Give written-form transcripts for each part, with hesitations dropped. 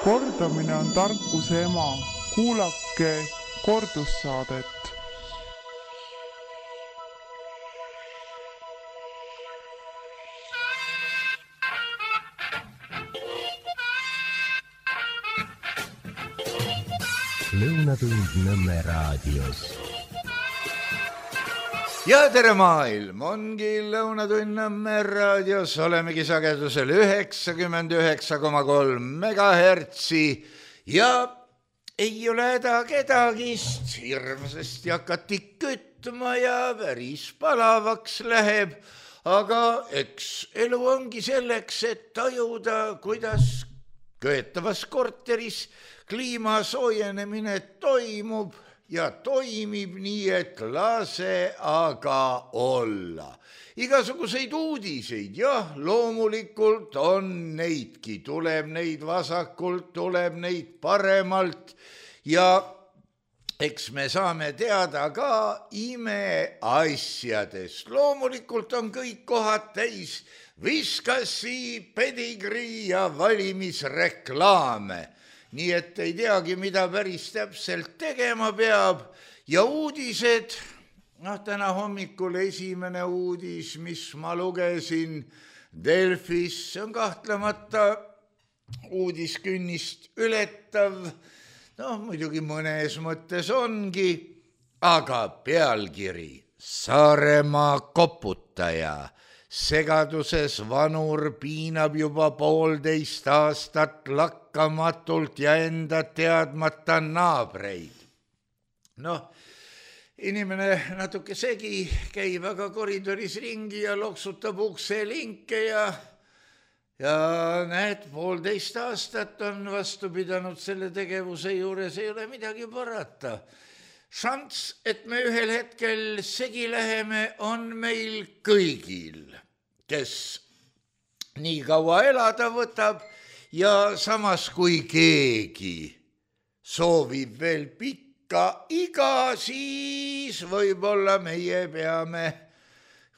Kordamine on tarkuse ema. Kuulake kordussaadet. Lõunatund Nõmme raadios. Ja tere maailm, ongi Lõunatund Nõmme raadios, olemegi sagedusel 99,3 megahertsi ja ei ole häda kedagist, hirmsasti hakati kütma ja päris palavaks läheb, aga eks elu ongi selleks, et tajuda, kuidas köetavas korteris kliima soojenemine toimub ja toimib nii, et lase aga olla. Igasuguseid uudiseid, jah, loomulikult on neidki, tuleb neid vasakult, tuleb neid paremalt ja eks me saame teada ka imeasjadest. Loomulikult on kõik kohad täis Viskasi, pedigrii ja valimisreklaame. Nii et ei teagi, mida päris täpselt tegema peab. Ja uudised, täna hommikul esimene uudis, mis ma lugesin Delfis, see on kahtlemata uudiskünnist ületav. Muidugi mõnes mõttes ongi, aga pealkiri Saaremaa koputaja. Segaduses vanur piinab juba 1,5 aastat lakkamatult ja enda teadmata naabreid. Inimene natuke segi käib aga koridoris ringi ja loksutab ukselinke ja näed, 1,5 aastat on vastu pidanud selle tegevuse juures, ei ole midagi parata. Šanss, et me ühel hetkel segi läheme, on meil kõigil, kes nii kaua elada võtab ja samas kui keegi soovib veel pikka iga, siis võib-olla meie peame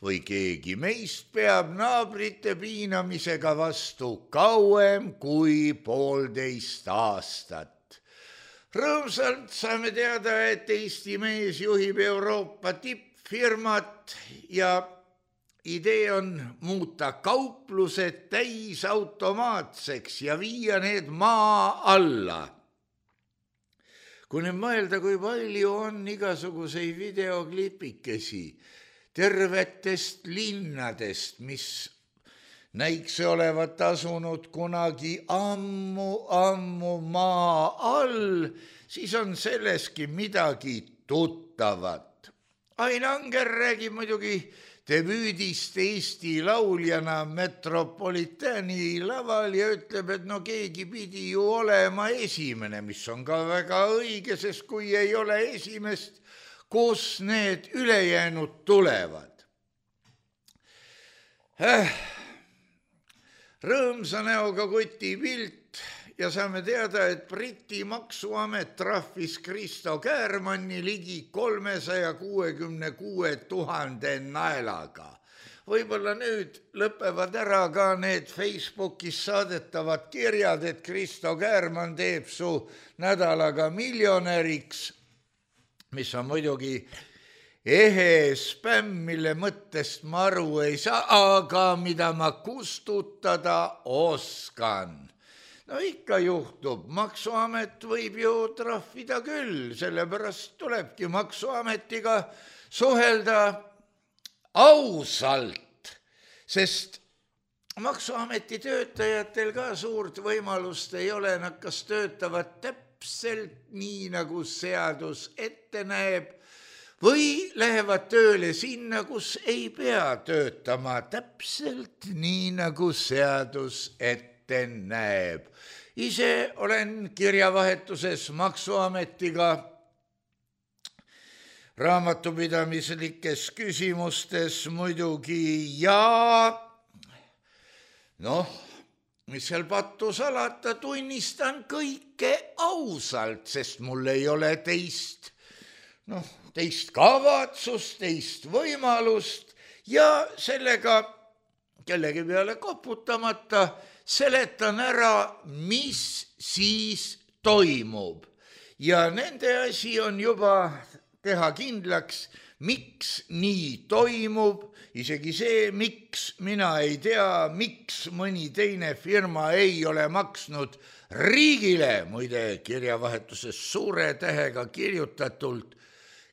või keegi meist peab naabrite piinamisega vastu kauem kui 1,5 aastat. Rõõmsalt saame teada, et Eesti mees juhib Euroopa tippfirmat ja idee on muuta kauplused täisautomaatseks ja viia need maa alla. Kui nüüd mõelda, kui palju on igasuguseid videoklipikesi tervetest linnadest, mis näiks olevat asunud kunagi ammu maa all, siis on selleski midagi tuttavat. Ain Anger räägib muidugi debüüdist Eesti lauljana Metropolitani laval ja ütleb, et keegi pidi ju olema esimene, mis on ka väga õige, sest kui ei ole esimest, kus need ülejäänud tulevad. Rõõmsa näoga kuti pilt ja saame teada, et Briti maksuamet trahvis Kristo Käärmanni ligi 366 000 naelaga. Võib-olla nüüd lõpevad ära ka need Facebookis saadetavad kirjad, et Kristo Käärmann teeb su nädalaga miljonäriks, mis on muidugi ehe spämm, mille mõttest ma aru ei saa, aga mida ma kustutada oskan. Ikka juhtub, maksuamet võib ju trahvida küll, sellepärast tulebki maksuametiga suhelda ausalt, sest maksuameti töötajatel ka suurt võimalust ei ole, nad kas töötavad täpselt nii, nagu seadus ette näeb, või lähevad tööle sinna, kus ei pea töötama täpselt nii, nagu seadus ette näeb. Ise olen kirjavahetuses maksuametiga raamatupidamislikes küsimustes muidugi ja mis seal pattu salata, tunnistan kõike ausalt, sest mul ei ole teist kavatsust, teist võimalust ja sellega kellegi peale koputamata, seletan ära, mis siis toimub. Ja nende asi on juba teha kindlaks, miks nii toimub, isegi see, miks mina ei tea, miks mõni teine firma ei ole maksnud riigile, muide kirjavahetuses suure tähega kirjutatult,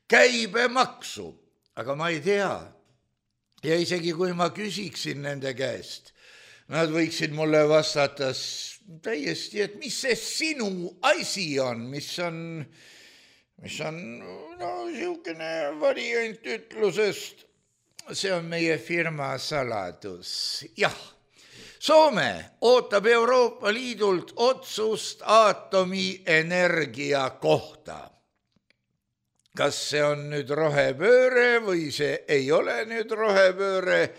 käibemaksu, aga ma ei tea. Ja isegi kui ma küsiksin nende käest, nad võiksid mulle vastata täiesti, et mis see sinu asi on, mis on siukene variant ütlusest, see on meie firma saladus. Jah, Soome ootab Euroopa Liidult otsust aatomienergia kohta. Kas see on nüüd rohepööre või see ei ole nüüd rohepööre,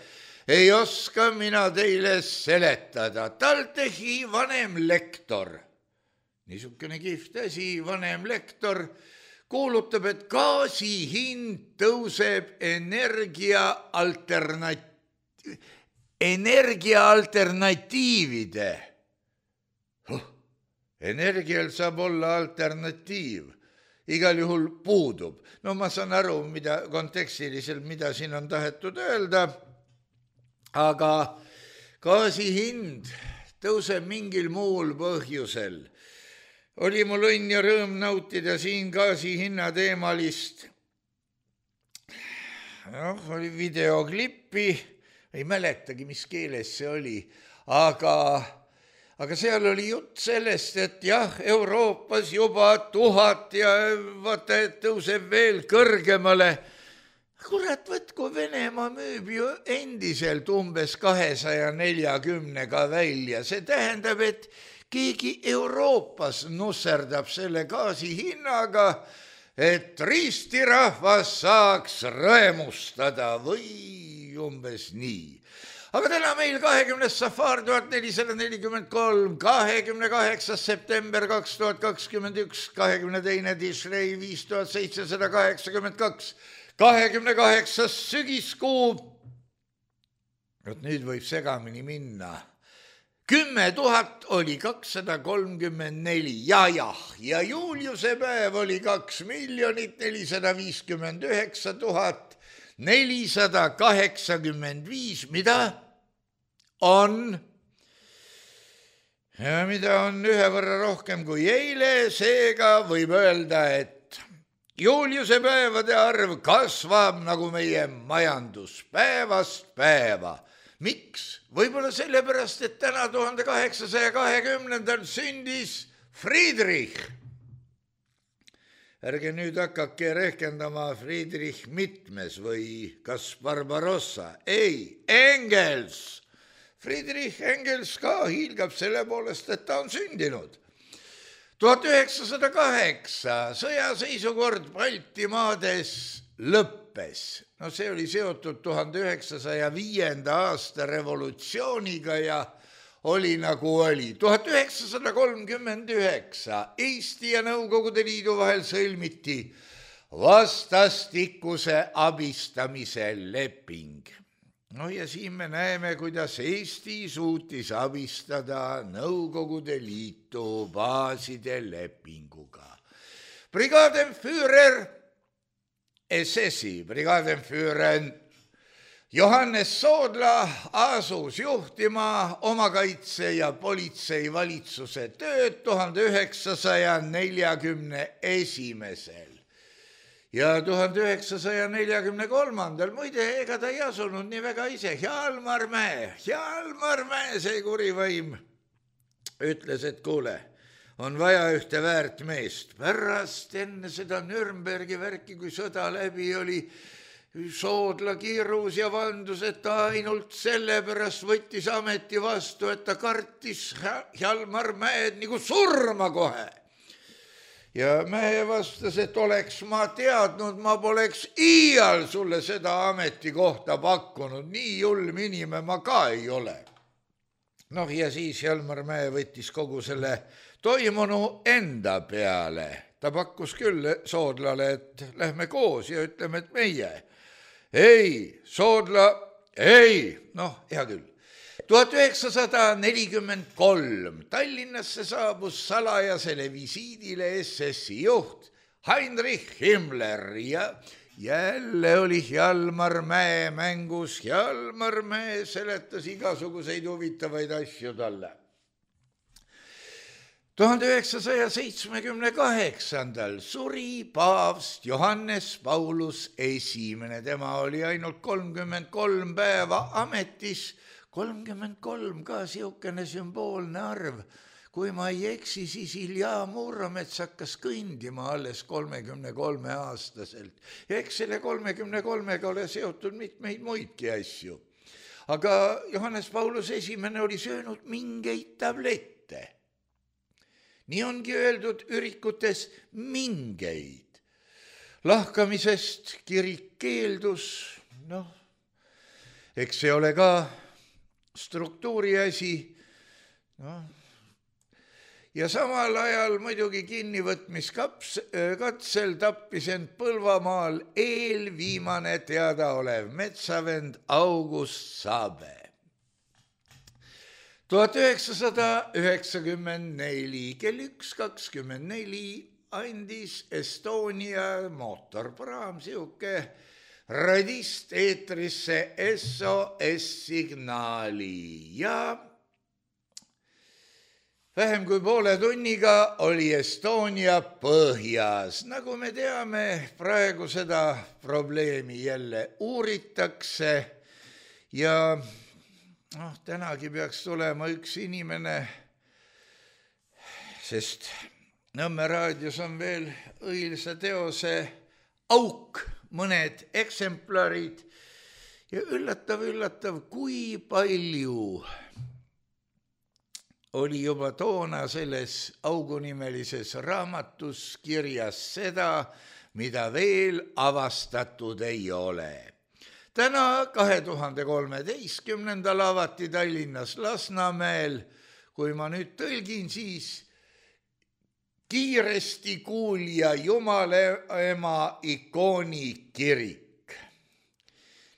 ei oska mina teile seletada. TalTechi vanem lektor, niisugune kihvt asi, vanem lektor, kuulutab, et gaasi hind tõuseb energiaalternatiivide. Energial saab olla alternatiiv. Igal juhul puudub. No ma saan aru, mida kontekstiliselt, mida siin on tahetud öelda, aga gaasi hind tõuseb mingil muul põhjusel. Oli mul õnn ja rõõm nautida siin gaasi hinna teemalist. Oli videoklippi, ei mäletagi, mis keeles see oli, aga seal oli jutt sellest, et jah, Euroopas juba 1000 ja vaata, et tõuseb veel kõrgemale. Kurat, kui Venemaa müüb ju endiselt umbes 240-ga välja. See tähendab, et keegi Euroopas nusserdab selle gaasi hinnaga, et ristirahvas saaks rõemustada või umbes nii. Aga täna meil 20. safar 1443, 28. september 2021, 22. Tishrei 5782, 28. sügiskuu. Nüüd võib segamini minna. 10 000 oli 234 ja Juliuse päev oli 2 459 485, mida on ühe võrra rohkem kui eile, seega võib öelda, et Juliuse päevade arv kasvab nagu meie majandus päevast päeva. Miks? Võib-olla sellepärast, et täna 1820. sündis Friedrich. Ärge nüüd hakake rehkendama Friedrich mitmes või kas Barbarossa. Ei, Engels. Friedrich Engels ka hiilgab selle poolest, et ta on sündinud. 1908 sõjaseisukord Baltimaades lõppes. No see oli seotud 1905. aasta revolutsiooniga ja oli nagu oli. 1939 Eesti ja Nõukogude Liidu vahel sõlmiti vastastikuse abistamise leping. No ja siin me näeme, kuidas Eesti suutis abistada Nõukogude Liitu baaside lepinguga. Brigadenführer SS-i brigadenführer Johannes Soodla asus juhtima omakaitse ja politsei valitsuse tööd 1941. Ja 1943. Muide, ega ta ei asunud nii väga ise. Hjalmar Mäe, see kurivaim ütles, et kuule, on vaja ühte väärt meest. Pärast enne seda Nürnbergi värki, kui sõda läbi oli, Soodla kiirus ja vandus, et ta ainult sellepärast võttis ameti vastu, et ta kartis Hjalmar Mäed nagu surma kohe. Ja Mäe vastas, et oleks ma teadnud, ma poleks iial sulle seda ametikohta pakkunud. Nii julm inimene ma ka ei ole. Noh, ja siis Hjalmar Mäe võttis kogu selle toimunu enda peale. Ta pakkus küll Soodlale, et lähme koos ja ütleme, et meie. Ei, Soodla, ei, noh, hea küll. 1943 Tallinnasse saabus salajasele visiidile SS-i juht Heinrich Himmler ja jälle oli Hjalmar Mäe mängus. Hjalmar Mäe seletas igasuguseid huvitavaid asju talle. 1978 suri paavst Johannes Paulus I. Tema oli ainult 33 päeva ametis. 33 ka siukene sümboolne arv. Kui ma ei eksi, siis Ilja Muromets hakkas kõndima alles 33 aastaselt. Ja eks selle 33-ga ole seotud mitmeid muidki asju. Aga Johannes Paulus I oli söönud mingeid tablette. Nii ongi öeldud ürikutes mingeid. Lahkamisest kirik keeldus, eks see ole ka struktuuri asi, ja samal ajal muidugi kinnivõtmiskatsel tappis end Põlvamaal eelviimane teadaolev metsavend August Saabe. 1994 kell 1:24 andis Estonia mootorpraam siuke radist eetrisse SOS-signaali ja vähem kui poole tunniga oli Estonia põhjas. Nagu me teame, praegu seda probleemi jälle uuritakse ja tänagi peaks tulema üks inimene, sest Nõmme raadios on veel õilsa teose auk, mõned eksemplarid ja üllatav, kui palju oli juba toona selles augunimelises raamatus kirjas seda, mida veel avastatud ei ole. Täna 2013. avati Tallinnas Lasnamäel, kui ma nüüd tõlgin, siis kiiresti kuulja Jumalaema ikooni kirik.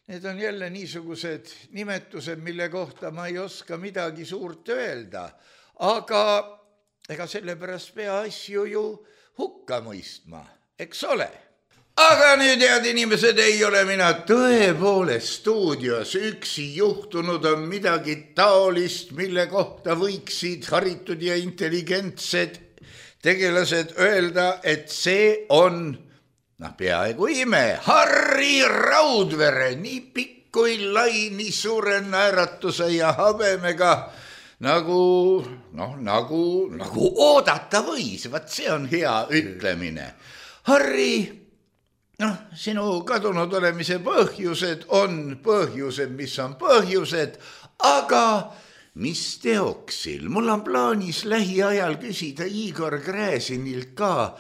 Need on jälle niisugused nimetused, mille kohta ma ei oska midagi suurt öelda, aga ega sellepärast pea asju ju hukka mõistma, eks ole. Aga nüüd, head inimesed, ei ole mina tõepoolest stuudios üksi. Juhtunud on midagi taolist, mille kohta võiksid haritud ja intelligentsed tegelased öelda, et see on peaaegu ime. Harri Raudvere, nii pikk kui lai, nii suure naeratuse ja habemega, nagu oodata võis. Vaat see on hea ütlemine. Harri, sinu kadunud olemise põhjused on põhjused, mis on põhjused, aga mis teoksil? Mul on plaanis lähiajal küsida Igor Gräzinilt ka,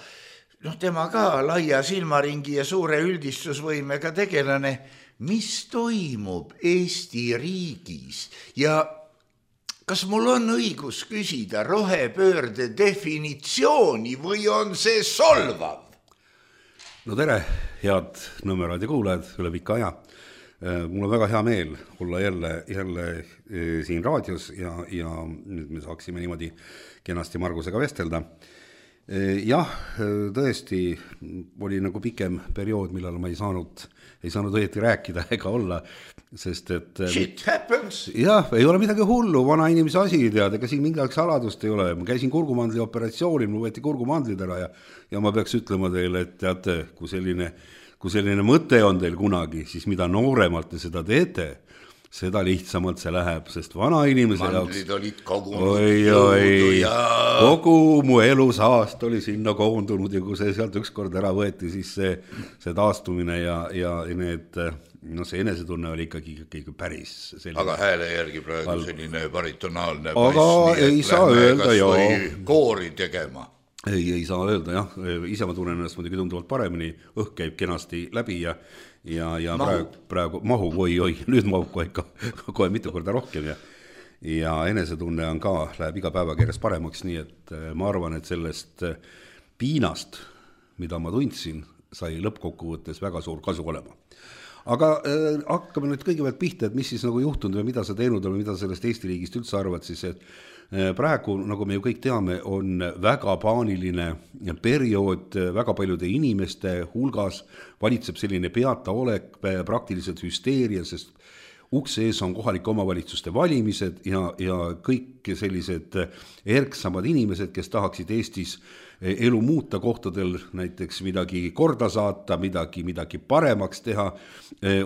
tema ka laia silmaringi ja suure üldistusvõimega tegelane, mis toimub Eesti riigis ja kas mul on õigus küsida rohepöörde definitsiooni või on see solvav? No tere, head Nõmme raadio kuulajad üle pika aja. Mul on väga hea meel olla jälle siin raadios ja nüüd me saaksime niimoodi kenasti Margusega vestelda. Jah, tõesti oli nagu pikem periood, millal ma ei saanud õieti rääkida ega olla, sest et shit happens. Jah, ei ole midagi hullu, vana inimese asi, tead, ega siin mingit saladust ei ole. Ma käisin kurgumandli operatsioonil, mul võeti kurgumandlid ära ja ma peaks ütlema teile, et teate, kui selline mõte on teil kunagi, siis mida nooremalt te seda teete, seda lihtsamalt see läheb, sest vana inimese mandlid olid kogu mu elusaast oli sinna koondunud ja kui see sealt ükskord ära võeti, siis see taastumine ja need, see enesetunne oli ikkagi päris selline. Aga hääle järgi praegu selline baritonaalne aga ei saa öelda, koori tegema. Ei saa öelda, jah. Ise ma tunnen ennast muidugi tunduvalt paremini, õhk käib kenasti läbi ja praegu mahu, nüüd mahub kohe mitu korda rohkem ja enesetunne on ka, läheb iga päevaga järjest paremaks, nii et ma arvan, et sellest piinast, mida ma tundsin, sai lõppkokkuvõttes väga suur kasu olema. aga hakkame nüüd kõigepealt pihta, et mis siis nagu juhtunud või mida sa teinud või mida sellest Eesti riigist üldse arvad siis, et praegu, nagu me ju kõik teame, on väga paaniline periood, väga paljude inimeste hulgas valitseb selline peataolek, praktiliselt hüsteeria, sest ukse ees on kohalike omavalitsuste valimised ja kõik sellised erksamad inimesed, kes tahaksid Eestis elu muuta kohtadel, näiteks midagi korda saata, midagi paremaks teha,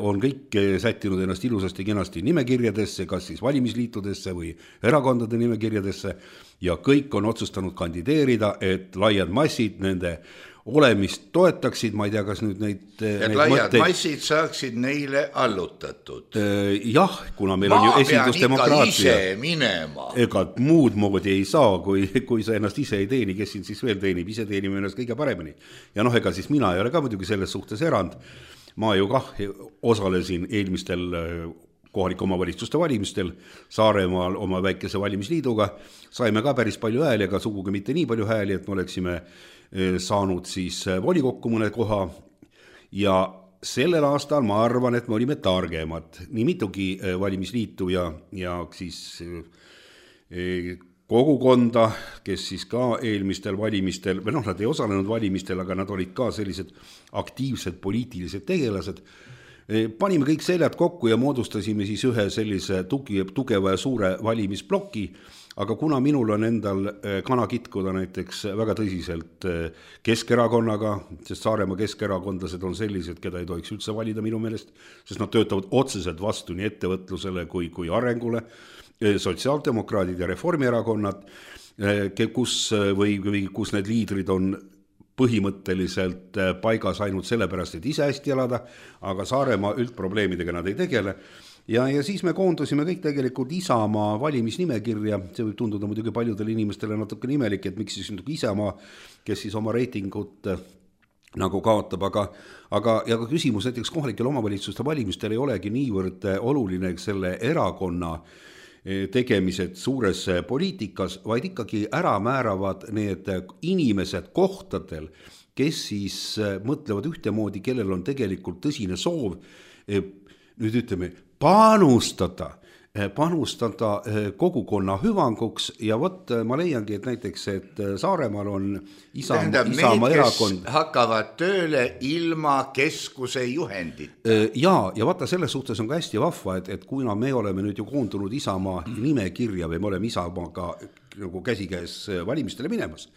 on kõik sättinud ennast ilusasti kenasti nimekirjadesse, kas siis valimisliitudesse või erakondade nimekirjadesse ja kõik on otsustanud kandideerida, et laiad massid nende olemist toetaksid, ma ei tea, kas nüüd neid laiad massid saaksid neile allutatud. Jah, kuna meil on ju esindusdemokraatia. Ma pean ikka ise minema. Ega muud moodi ei saa, kui sa ennast ise ei teeni, kes siin siis veel teenib, ise teenime ennast kõige paremini. Ja ega siis mina ei ole ka muidugi selles suhtes erand. Ma ju osalesin eelmistel kohalike omavalitsuste valimistel Saaremaal oma väikese valimisliiduga. Saime ka päris palju hääli, aga sugugi mitte nii palju hääli, et me oleksime saanud siis volikokku mõne koha ja sellel aastal ma arvan, et me olime targemad. Nii mitugi valimisliitu ja siis kogukonda, kes siis ka eelmistel valimistel, või nad ei osalenud valimistel, aga nad olid ka sellised aktiivsed poliitilised tegelased. Panime kõik seljad kokku ja moodustasime siis ühe sellise tugeva ja suure valimisbloki, aga kuna minul on endal kana kitkuda näiteks väga tõsiselt Keskerakonnaga, sest Saaremaa keskerakondlased on sellised, keda ei tohiks üldse valida minu meelest, sest nad töötavad otseselt vastu nii ettevõtlusele kui arengule, sotsiaaldemokraadid ja reformierakonnad, kus need liidrid on põhimõtteliselt paigas ainult sellepärast, et ise hästi elada, aga Saaremaa üldprobleemidega nad ei tegele. Ja siis me koondusime kõik tegelikult Isamaa valimisnimekirja, see võib tunduda muidugi paljudele inimestele natuke nimelik, et miks siis Isamaa, kes siis oma reitingut nagu kaotab, aga küsimus näiteks kohalikel omavalitsuste valimistel ei olegi niivõrd oluline selle erakonna tegemised suures poliitikas, vaid ikkagi ära määravad need inimesed kohtadel, kes siis mõtlevad ühtemoodi, kellel on tegelikult tõsine soov, nüüd ütleme, panustada kogukonna hüvanguks ja ma leiangi, et näiteks, et Saaremaal on Isamaa erakond. Kes hakkavad tööle ilma keskuse juhendit. Ja vaata, selles suhtes on ka hästi vahva, et kuna me oleme nüüd ju koondunud Isamaa nimekirja või me oleme Isamaaga nagu käsikäes valimistele minemas,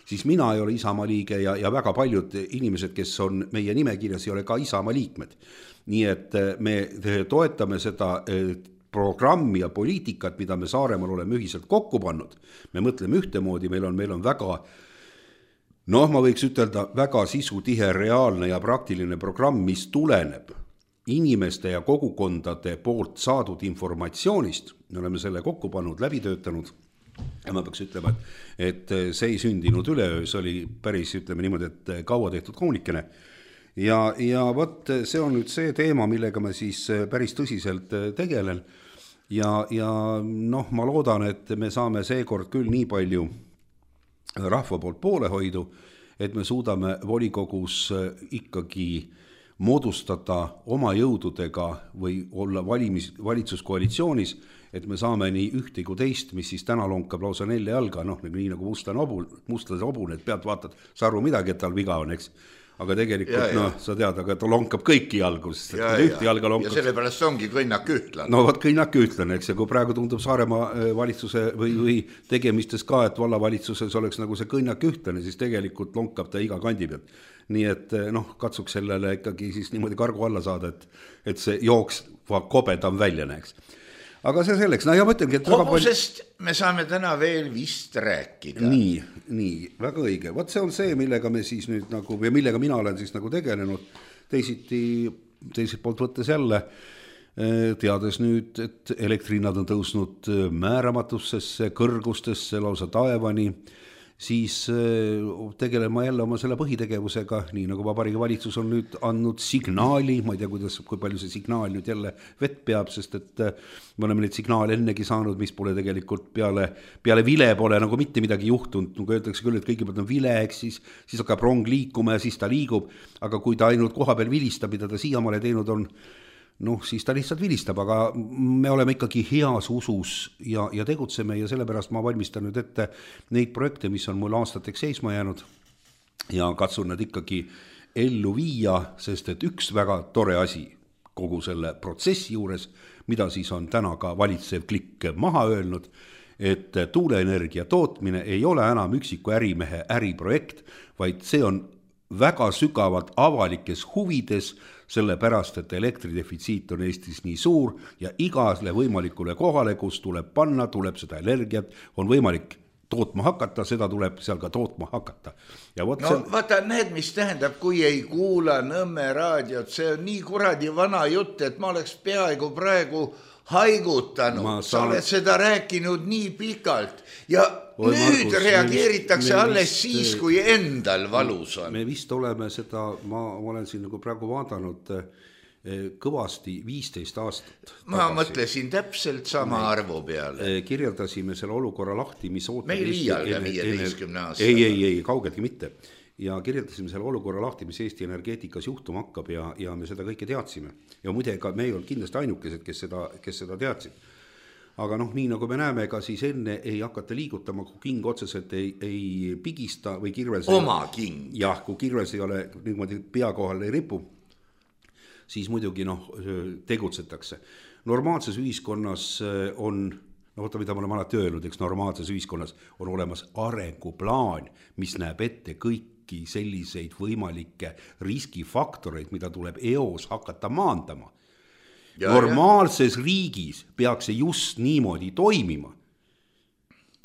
siis mina ei ole Isamaa liige ja väga paljud inimesed, kes on meie nimekirjas, ei ole ka Isamaa liikmed. Nii et me toetame seda programmi ja poliitikat, mida me Saaremaal oleme ühiselt kokku pannud. Me mõtleme ühtemoodi, meil on väga, ma võiks ütelda, väga sisutihe, reaalne ja praktiline programm, mis tuleneb inimeste ja kogukondade poolt saadud informatsioonist. Me oleme selle kokku pannud, läbi töötanud ja ma peaks ütlema, et see ei sündinud üleöö, see oli päris, ütleme niimoodi, et kaua tehtud kaunikene. Ja võt, see on nüüd see teema, millega ma siis päris tõsiselt tegelen ja ma loodan, et me saame seekord küll nii palju rahva poolt poolehoidu, et me suudame volikogus ikkagi moodustada oma jõududega või olla valitsuskoalitsioonis, et me saame nii ühte kui teist, mis siis täna lonkab lausa 4 jalga, nii nagu mustade hobune, et pealt vaatad, sa aru midagi, et tal viga on, eks. Aga tegelikult, sa tead, aga ta lonkab kõiki jalgu, sest ühte jalga lonkab. Ja sellepärast ongi kõnnak ühtlane. No võt kõnnak ühtlane, eks, ja kui praegu tundub Saaremaa valitsuse või tegemistes ka, et vallavalitsuses oleks nagu see kõnnak ühtlane, siis tegelikult lonkab ta iga kandi pealt. Nii et katsuks sellele ikkagi siis niimoodi kargu alla saada, et see jooksva kobedam välja näeks. Aga see selleks, ja mõtlengi, et hobusest me saame täna veel vist rääkida. Nii, väga õige. Võt see on see, millega me siis nüüd nagu, või millega mina olen siis nagu tegelenud teiselt poolt võttes jälle, teades nüüd, et elektrihinnad on tõusnud määramatussesse, kõrgustesse, lausa taevani siis tegelen ma jälle oma selle põhitegevusega, nii nagu Vabariigi Valitsus on nüüd andnud signaali, ma ei tea, kui palju see signaal nüüd jälle vett peab, sest et me oleme neid signaale ennegi saanud, mis pole tegelikult peale vile pole nagu mitte midagi juhtunud, nagu öeldakse küll, et kõigepealt on vile, siis hakkab rong liikuma ja siis ta liigub, aga kui ta ainult koha peal vilistab, mida ta siiamaale teinud on, siis ta lihtsalt vilistab, aga me oleme ikkagi heas usus ja tegutseme ja sellepärast ma valmistan nüüd ette neid projekte, mis on mul aastateks seisma jäänud ja katsun nad ikkagi ellu viia, sest et üks väga tore asi kogu selle protsessi juures, mida siis on täna ka valitsev klikk maha öelnud, et tuuleenergia tootmine ei ole enam üksiku ärimehe äriprojekt, vaid see on väga sügavalt avalikes huvides, sellepärast, et elektridefitsiit on Eestis nii suur ja igale võimalikule kohale, kus tuleb panna, tuleb seda energiat, on võimalik tootma hakata, seda tuleb seal ka tootma hakata. Ja vaata, need, mis tähendab, kui ei kuula Nõmme raadiot, see on nii kuradi vana jutt, et ma oleks peaaegu praegu haigutanud, sa oled seda rääkinud nii pikalt ja nüüd reageeritakse alles siis, kui endal valus on. Me vist oleme seda, ma olen siin nagu praegu vaadanud kõvasti 15 aastat. Ma mõtlesin täpselt sama arvu peale. Kirjeldasime selle olukorra lahti, mis ootab. Me ei liialga 15 aastat. Ei, kaugeltki mitte. Ja kirjeldasime selle olukorra lahti, mis Eesti energeetikas juhtuma hakkab ja me seda kõike teadsime. Ja muide, ka me ei olnud kindlasti ainukesed, kes seda teadsid. Aga nii nagu me näeme, ka siis enne ei hakata liigutama, kui king otseselt ei pigista või kirves. Oma king. Jah, kui kirves ei ole niimoodi pea kohal ei ripu, siis muidugi tegutsetakse. Normaalses ühiskonnas on, mida me oleme alati öelnud, eks normaalses ühiskonnas on olemas arenguplaan, mis näeb ette kõiki selliseid võimalikke riskifaktoreid, mida tuleb eos hakata maandama. Normaalses riigis peaks see just niimoodi toimima.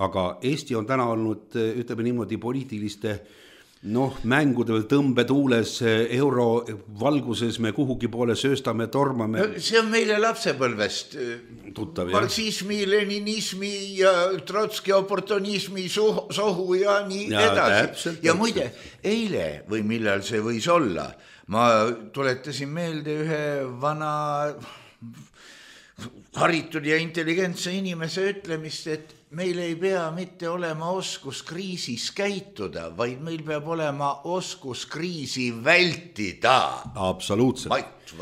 Aga Eesti on täna olnud, ütleme niimoodi, poliitiliste mängude veel tõmbetuules, euro valguses me kuhugi poole sööstame, tormame. See on meile lapsepõlvest. Tuttav, marksismi, leninismi ja Trotski oportunismi sohu ja nii edasi. Ja muide, eile või millal see võis olla, ma tuletasin meelde ühe vana haritud ja intelligentse inimese ütlemist, et meil ei pea mitte olema oskus kriisis käituda, vaid meil peab olema oskus kriisi vältida. Absoluutselt.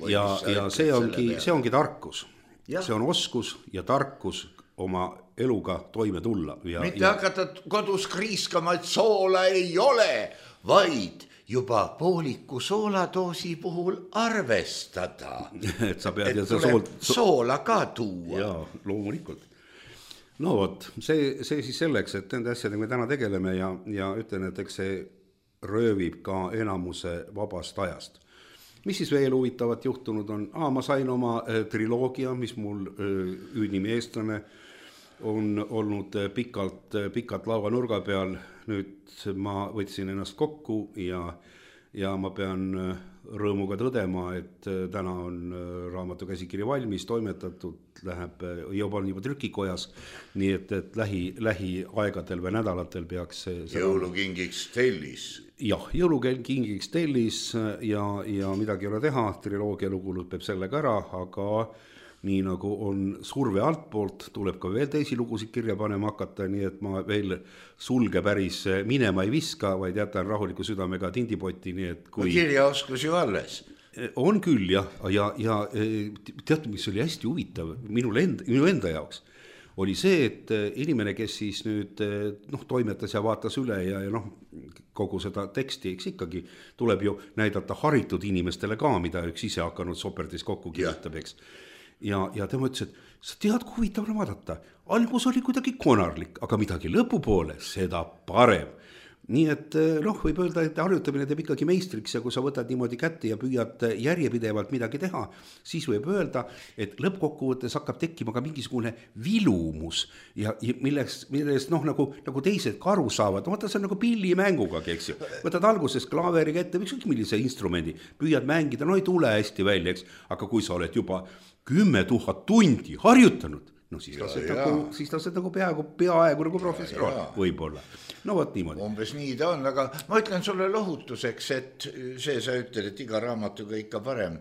Ja see ongi tarkus. Ja. See on oskus ja tarkus oma eluga toime tulla. Mitte hakata kodus kriiskama, et soola ei ole, vaid juba pooliku sooladoosi puhul arvestada. Et sa pead soola ka tuua. Jaa, loomulikult. See siis selleks, et nende asjadega me täna tegeleme ja ütlen, et eks see röövib ka enamuse vabast ajast. Mis siis veel huvitavat juhtunud on? Ma sain oma triloogia, mis mul Üüdnimi eestlane on olnud pikalt lauanurga peal. Nüüd ma võtsin ennast kokku ja ma pean rõõmuga tõdema, et täna on raamatu käsikiri valmis, toimetatud, läheb juba trükikojas, nii et lähiaegadel või nädalatel peaks jõulukingiks tellis. Jah, jõulukingiks tellis ja midagi ei ole teha, triloogia lugu lõpeb sellega ära, aga nii nagu on surve altpoolt, tuleb ka veel teisi lugusid kirja panema hakata, nii et ma veel sulge päris minema ei viska, vaid jätan rahuliku südamega tindipoti, nii et kui... Kirjaoskus ju alles. On küll, ja tead, mis oli hästi huvitav minu enda jaoks, oli see, et inimene, kes siis nüüd toimetas ja vaatas üle ja kogu seda teksti, eks ikkagi tuleb ju näidata haritud inimestele ka, mida üks ise hakanud soperdis kokku kirjutab, eks. Ja tema ütles, et sa tead, kui huvitav vaadata. Algus oli kuidagi konarlik, aga midagi lõpupoole, seda parem. Nii et võib öelda, et harjutamine teeb ikkagi meistriks ja kui sa võtad niimoodi kätte ja püüad järjepidevalt midagi teha, siis võib öelda, et lõppkokkuvõttes hakkab tekkima ka mingisugune vilumus ja millest nagu teised ka aru saavad. Vaata, see on nagu pillimänguga, eks ju. Võtad alguses klaaveriga ette, ükskõik millise instrumendi, püüad mängida, ei tule hästi välja, eks. Aga kui sa oled juba 10 000 tundi harjutanud, no siis lased nagu peaaegu nagu professionaal võib-olla. No võt niimoodi. Umbes nii ta on, aga ma ütlen sulle lohutuseks, et see sa ütled, et iga raamatuga ikka parem.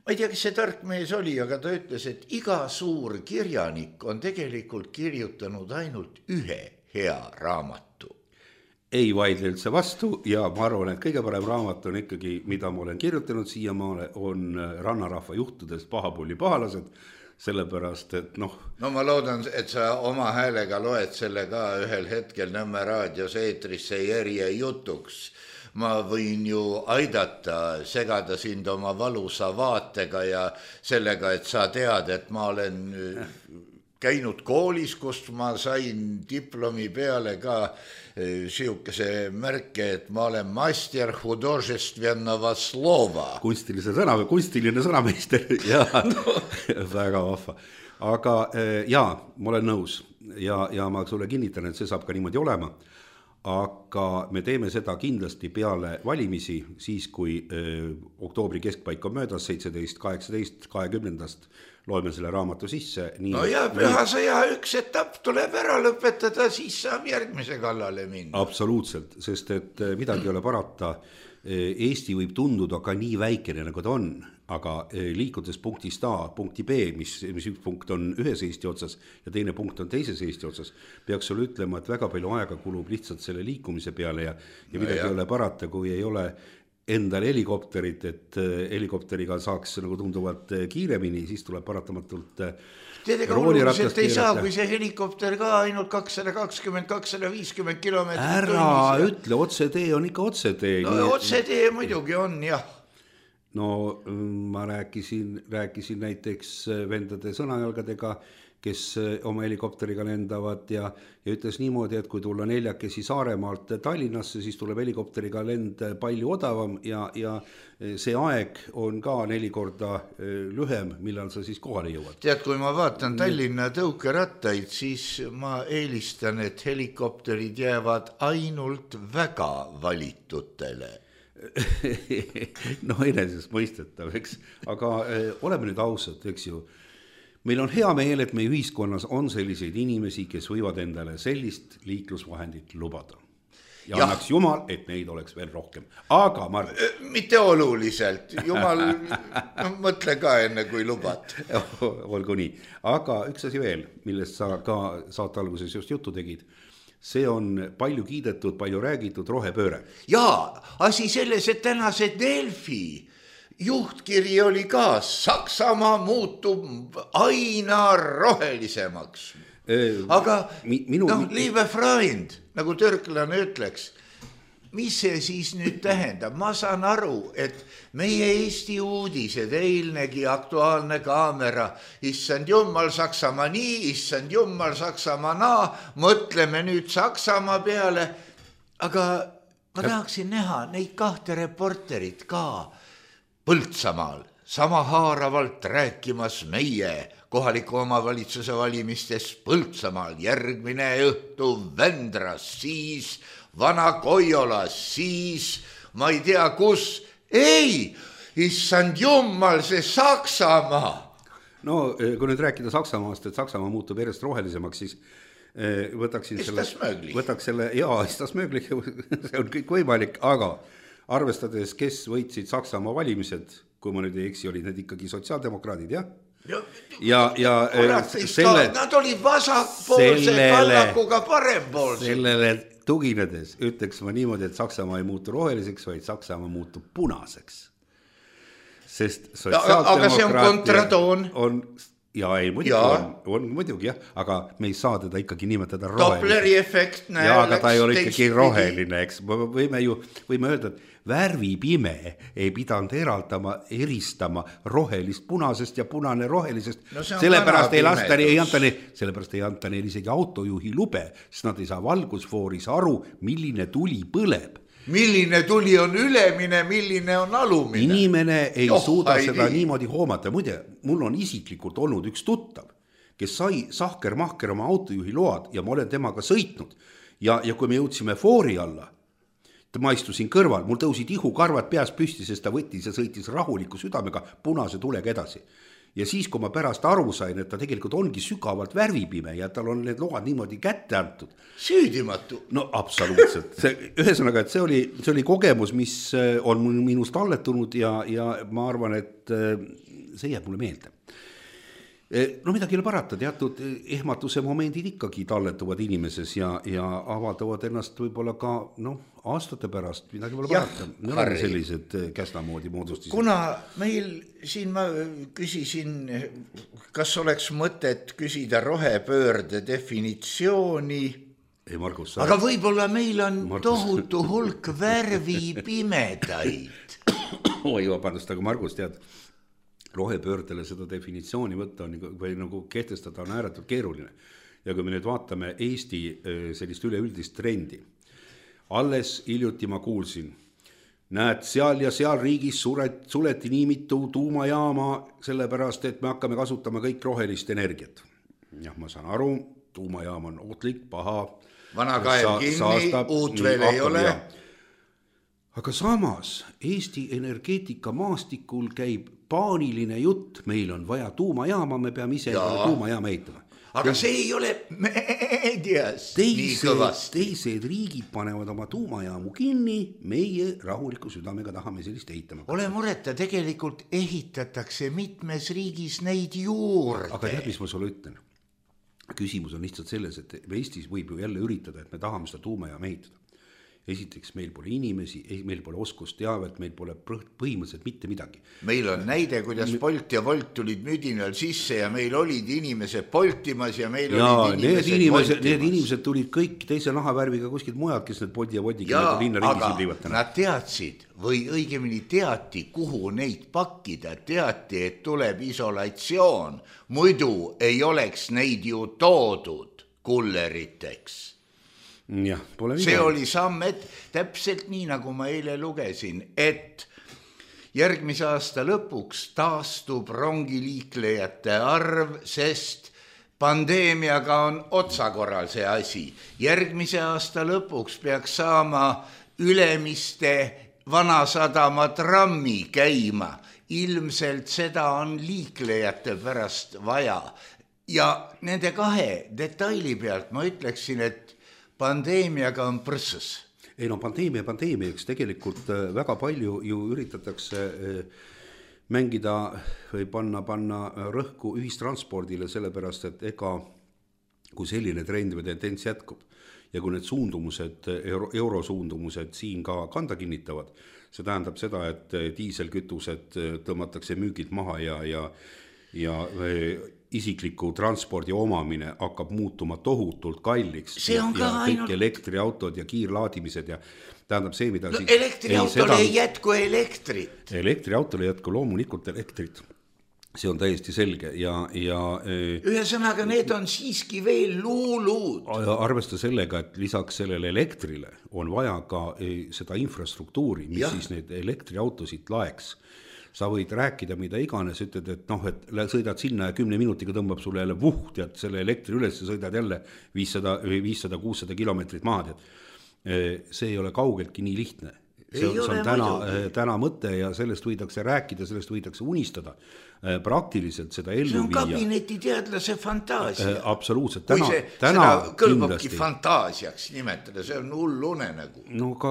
Ma ei tea, kes see tark mees oli, aga ta ütles, et iga suur kirjanik on tegelikult kirjutanud ainult ühe hea raamatu. Ei vaidle üldse vastu ja ma arvan, et kõige parem raamat on ikkagi, mida ma olen kirjutanud siiamaale, on Rannarahva juhtudest Pahapulli pahalased, sellepärast, et noh... No ma loodan, et sa oma häälega loed selle ka ühel hetkel Nõmme raadios eetrisse järje jutuks. Ma võin ju aidata segada sind oma valusa vaatega ja sellega, et sa tead, et ma olen käinud koolis, kust ma sain diplomi peale ka siukese märke, et ma olen master hudожественного slova. Kunstiline sõnameister ja väga vahva. Aga jaa, ma olen nõus ja ma sulle kinnitan, et see saab ka niimoodi olema. Aga me teeme seda kindlasti peale valimisi, siis kui oktoobri keskpaik on möödas, 17, 18, 20. loeme selle raamatu sisse. No ja pühasõja üks etapp tuleb ära lõpetada, siis saab järgmise kallale minna. Absoluutselt, sest et midagi ei ole parata. Eesti võib tunduda ka nii väikene, nagu ta on, aga liikudes punktist A punkti B, mis üks punkt on ühes Eesti otsas ja teine punkt on teises Eesti otsas, peaks sulle ütlema, et väga palju aega kulub lihtsalt selle liikumise peale ja midagi ei ole parata, kui ei ole endal helikopterit, et helikopteriga saaks nagu tunduvalt kiiremini, siis tuleb paratamatult Teedega oluliselt ei saa, kui see helikopter ka ainult 220-250 kilomeetrit ära ütle, otsetee on ikka otsetee. No otsetee muidugi on, jah. No ma rääkisin näiteks vendade sõnajalgadega, kes oma helikopteriga lendavad ja ütles niimoodi, et kui tulla 4 Saaremaalt Tallinnasse, siis tuleb helikopteriga lend palju odavam ja see aeg on ka 4 korda lühem, millal sa siis kohale jõuad. Tead, kui ma vaatan Tallinna tõukerattaid, siis ma eelistan, et helikopterid jäävad ainult väga valitutele. No enesest mõistetav, eks, aga oleme nüüd ausad, eks ju. Meil on hea meel, et meie ühiskonnas on selliseid inimesi, kes võivad endale sellist liiklusvahendit lubada. Ja annaks Jumal, et neid oleks veel rohkem. Aga Mart... Mitte oluliselt. Jumal, mõtle ka enne, kui lubad. Olgu nii. Aga üks asi veel, millest sa ka saate alguses just juttu tegid. See on palju kiidetud, palju räägitud rohepööre. Jaa, asi selles, et tänase Delfi juhtkiri oli ka, Saksamaa muutub aina rohelisemaks. Aga liebe Freund, nagu türklane ütleks, mis see siis nüüd tähendab? Ma saan aru, et meie Eesti uudised, eilnegi Aktuaalne Kaamera, issand Jumal Saksamaa nii, issand Jumal Saksamaa naa, mõtleme nüüd Saksamaa peale, aga ma tahaksin näha neid 2 reporterit ka Põltsamaal sama haaravalt rääkimas meie kohaliku omavalitsuse valimistest Põltsamaal, järgmine õhtu Vändras, siis Vana-Koiolas, siis ma ei tea kus. Ei, issand Jumal, see Saksamaa. No kui nüüd rääkida Saksamaast, et Saksamaa muutub järjest rohelisemaks, siis võtaks selle, istasmööglik, see on kõik võimalik, aga arvestades, kes võitsid Saksamaa valimised, kui ma nüüd ei eksi, olid need ikkagi sotsiaaldemokraadid, jah? Nad olid vasakpoolsed kallakuga parempoolsed. Sellele tuginedes ütleks ma niimoodi, et Saksamaa ei muutu roheliseks, vaid Saksamaa muutub punaseks. Sest aga see on kontratoon. On muidugi jah, aga me ei saa teda ikkagi nimetada roheliseks. Dopleri efekt näe. Ja, aga ta ei ole ikkagi roheline, eks. Võime öelda, et värvipime ei pidanud eristama rohelist punasest ja punane rohelisest. Sellepärast ei anta neil isegi autojuhi lube, sest nad ei saa valgusfooris aru, milline tuli põleb. Milline tuli on ülemine, milline on alumine. Inimene ei suuda seda niimoodi hoomata. Muide, mul on isiklikult olnud üks tuttav, kes sai sahker-mahker oma autojuhi load ja ma olen temaga sõitnud. Ja kui me jõudsime foori alla, ma istusin kõrval, mul tõusid ihukarvad peas püsti, sest ta võttis ja sõitis rahuliku südamega punase tulega edasi. ja siis, kui ma pärast aru sain, et ta tegelikult ongi sügavalt värvipime ja tal on need load niimoodi kätte antud. Süüdimatu. No absoluutselt. Ühesõnaga, et see oli kogemus, mis on minust talletunud ja ma arvan, et see jääb mulle meelde. No midagi ei ole parata, teatud ehmatuse momendid ikkagi talletuvad inimeses ja avaldavad ennast võib-olla ka aastate pärast, midagi pole parata. Need on sellised käsnamoodi moodustised. Kuna meil siin ma küsisin, kas oleks mõtet küsida rohepöörde definitsiooni, ei, Margus, aga võib-olla meil on tohutu hulk värvipimedaid. Oi, vabandust, aga Margus, tead, rohepöördele seda definitsiooni võtta või nagu kehtestada on ääretult keeruline. Ja kui me nüüd vaatame Eesti sellist üleüldist trendi, alles hiljuti ma kuulsin, näed, seal ja seal riigis suleti nii mitu tuumajaama sellepärast, et me hakkame kasutama kõik rohelist energiat. Jah, ma saan aru, tuumajaam on ohtlik, paha. Vana kaev kinni, uut veel ei ole. Aga samas Eesti energeetika maastikul käib paaniline jutt, meil on vaja tuumajaama, me peame ise tuumajaama ehitama. Aga see ei ole meedias nii kõvasti. Teised riigid panevad oma tuumajaamu kinni, meie rahuliku südamega tahame sellist ehitama. Ole mureta, tegelikult ehitatakse mitmes riigis neid juurde. Aga tead, mis ma sulle ütlen? Küsimus on lihtsalt selles, et Eestis võib ju jälle üritada, et me tahame seda tuumajaama ehitada. Esiteks, meil pole inimesi, meil pole oskusteavet, meil pole põhimõtteliselt mitte midagi. Meil on näide, kuidas Bolt ja Volt tulid müdinal sisse ja meil olid inimesed poltimas ja meil olid inimesed poltimas. Need inimesed tulid kõik teise nahavärviga kuskilt mujalt, kes need Bolti ja Volti linna ringis liivatana. Nad teadsid või õigemini teati, kuhu neid pakkida, teati, et tuleb isolatsioon. Muidu ei oleks neid ju toodud kulleriteks. Ja, see oli samm, et täpselt nii, nagu ma eile lugesin, et järgmise aasta lõpuks taastub rongiliiklejate arv, sest pandeemiaga on otsakorral see asi. Järgmise aasta lõpuks peaks saama Ülemiste Vanasadama trammi käima. Ilmselt seda on liiklejate pärast vaja. Ja nende kahe detaili pealt ma ütleksin, et pandeemiaga on prõssus. Ei no pandeemiaks tegelikult väga palju ju üritatakse mängida või panna rõhku ühistranspordile, sellepärast, et ega kui selline trend või tendents jätkub ja kui need suundumused, eurosuundumused siin ka kanda kinnitavad, see tähendab seda, et diiselkütused tõmmatakse müügilt maha ja isikliku transpordi omamine hakkab muutuma tohutult kalliks see on ja kõik ainult elektriautod ja kiirlaadimised ja tähendab see, mida siis elektriautole ei jätku elektrit. Elektriautole ei jätku loomulikult elektrit. See on täiesti selge ja ühesõnaga need on siiski veel luulud. Arvesta sellega, et lisaks sellele elektrile on vaja ka seda infrastruktuuri, mis siis need elektriautosid laeks. Sa võid rääkida, mida iganes, ütled, et sõidad sinna ja 10 minutiga tõmbab sulle jälle tead selle elektri üles ja sõidad jälle 500-600 kilomeetrit maha. See ei ole kaugeltki nii lihtne. See on täna mõte ja sellest võidakse rääkida, sellest võidakse unistada. Praktiliselt seda ellu viia. See on kabineti teadlase fantaasia. Absoluutselt. Kui seda kõlbabki fantaasiaks nimetada, see on hullune nagu. No ka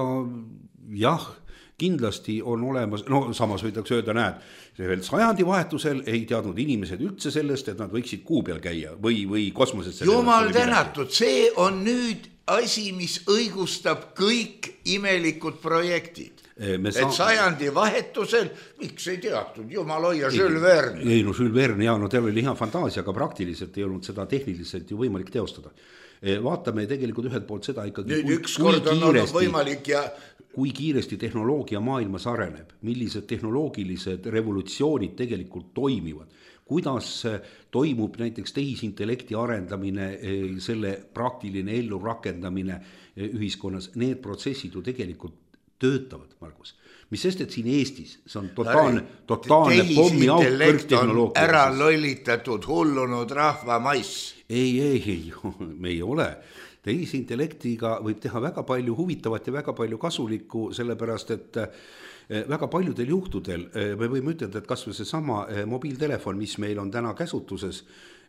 jah, kindlasti on olemas, samas võidakse öelda, näed, veel sajandivahetusel ei teadnud inimesed üldse sellest, et nad võiksid kuu peal käia või kosmosesse. Jumal tänatud, see on nüüd asi, mis õigustab kõik imelikud projektid. Et sajandivahetusel, miks ei teatud, jumal hoia Jules Verne. Ei, Jules Verne, teil oli hea fantaasia, aga praktiliselt ei olnud seda tehniliselt ju võimalik teostada. Vaatame tegelikult ühelt poolt seda ikkagi, kui kiiresti tehnoloogia maailmas areneb, millised tehnoloogilised revolutsioonid tegelikult toimivad, kuidas toimub näiteks tehisintellekti arendamine, selle praktiline ellu rakendamine ühiskonnas, need protsessid ju tegelikult töötavad, Margus. Mis sest, et siin Eestis see on totaalne pommi auk kõrgtehnoloogia. Ära lollitatud hullunud rahva maiss. Ei, me ei ole. tehisintellektiga võib teha väga palju huvitavat ja väga palju kasulikku, sellepärast et väga paljudel juhtudel me võime ütelda, et kas või seesama mobiiltelefon, mis meil on täna käsutuses,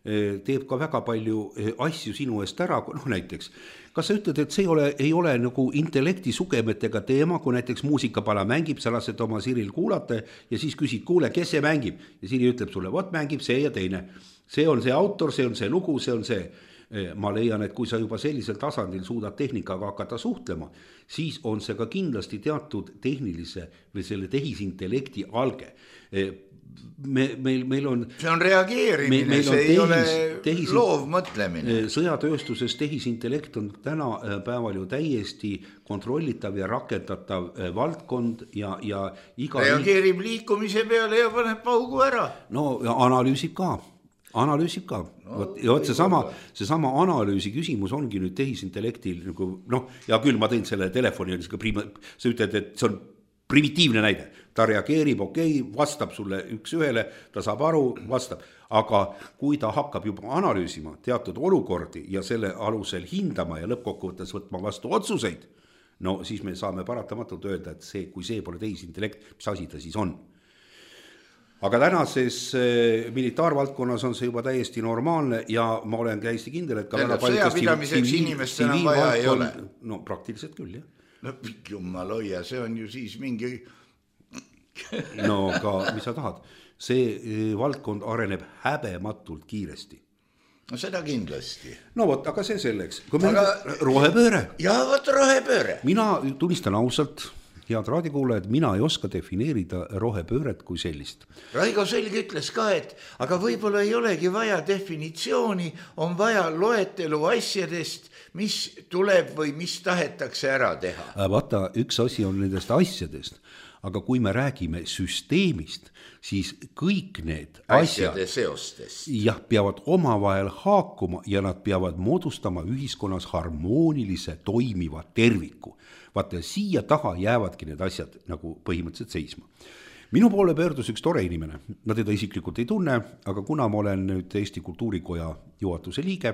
teeb ka väga palju asju sinu eest ära, noh näiteks, kas sa ütled, et see ei ole nagu intellekti sugemetega teema, kui näiteks muusikapala mängib, sa lased oma Siril kuulata ja siis küsid, kuule, kes see mängib? Ja Siri ütleb sulle, vot mängib see ja teine. See on see autor, see on see lugu, see on see. Ma leian, et kui sa juba sellisel tasandil suudad tehnikaga hakata suhtlema, siis on see ka kindlasti teatud tehnilise või selle tehisintellekti alge. Meil on see on reageerimine, see ei ole loovmõtlemine. Sõjatööstuses tehisintellekt on täna päeval ju täiesti kontrollitav ja rakendatav valdkond ja iga reageerib liikumise peale ja paneb paugu ära. No ja analüüsib ka. No, ja seesama analüüsi küsimus ongi nüüd tehisintellektil nagu, noh, ja küll ma tõin selle telefoni, sa ütled, et see on primitiivne näide, ta reageerib, vastab sulle üks ühele, ta saab aru, vastab, aga kui ta hakkab juba analüüsima teatud olukordi ja selle alusel hindama ja lõppkokkuvõttes võtma vastu otsuseid, no siis me saame paratamatult öelda, et kui see pole tehisintellekt, mis asi ta siis on. Aga tänases militaarvaldkonnas on see juba täiesti normaalne ja ma olen täiesti kindel, et ka väga sõjapidamiseks inimestel enam vaja ei ole. No praktiliselt küll, jah. No jumal hoia, see on ju siis mingi... No ka, mis sa tahad, see valdkond areneb häbematult kiiresti. No seda kindlasti. No vot, aga see selleks. Rohepööre. Ja vot rohepööre. Mina tunnistan ausalt, head raadikuulajad, mina ei oska defineerida rohepööret kui sellist. Raigo Selg ütles ka, et aga võib-olla ei olegi vaja definitsiooni, on vaja loetelu asjadest, mis tuleb või mis tahetakse ära teha. Vaata, üks asi on nendest asjadest, aga kui me räägime süsteemist, siis kõik need asjade seostest peavad omavahel haakuma ja nad peavad moodustama ühiskonnas harmoonilise toimiva terviku. Vaata, siia taha jäävadki need asjad nagu põhimõtteliselt seisma. Minu poole pöördus üks tore inimene, ma teda isiklikult ei tunne, aga kuna ma olen nüüd Eesti Kultuurikoja juhatuse liige,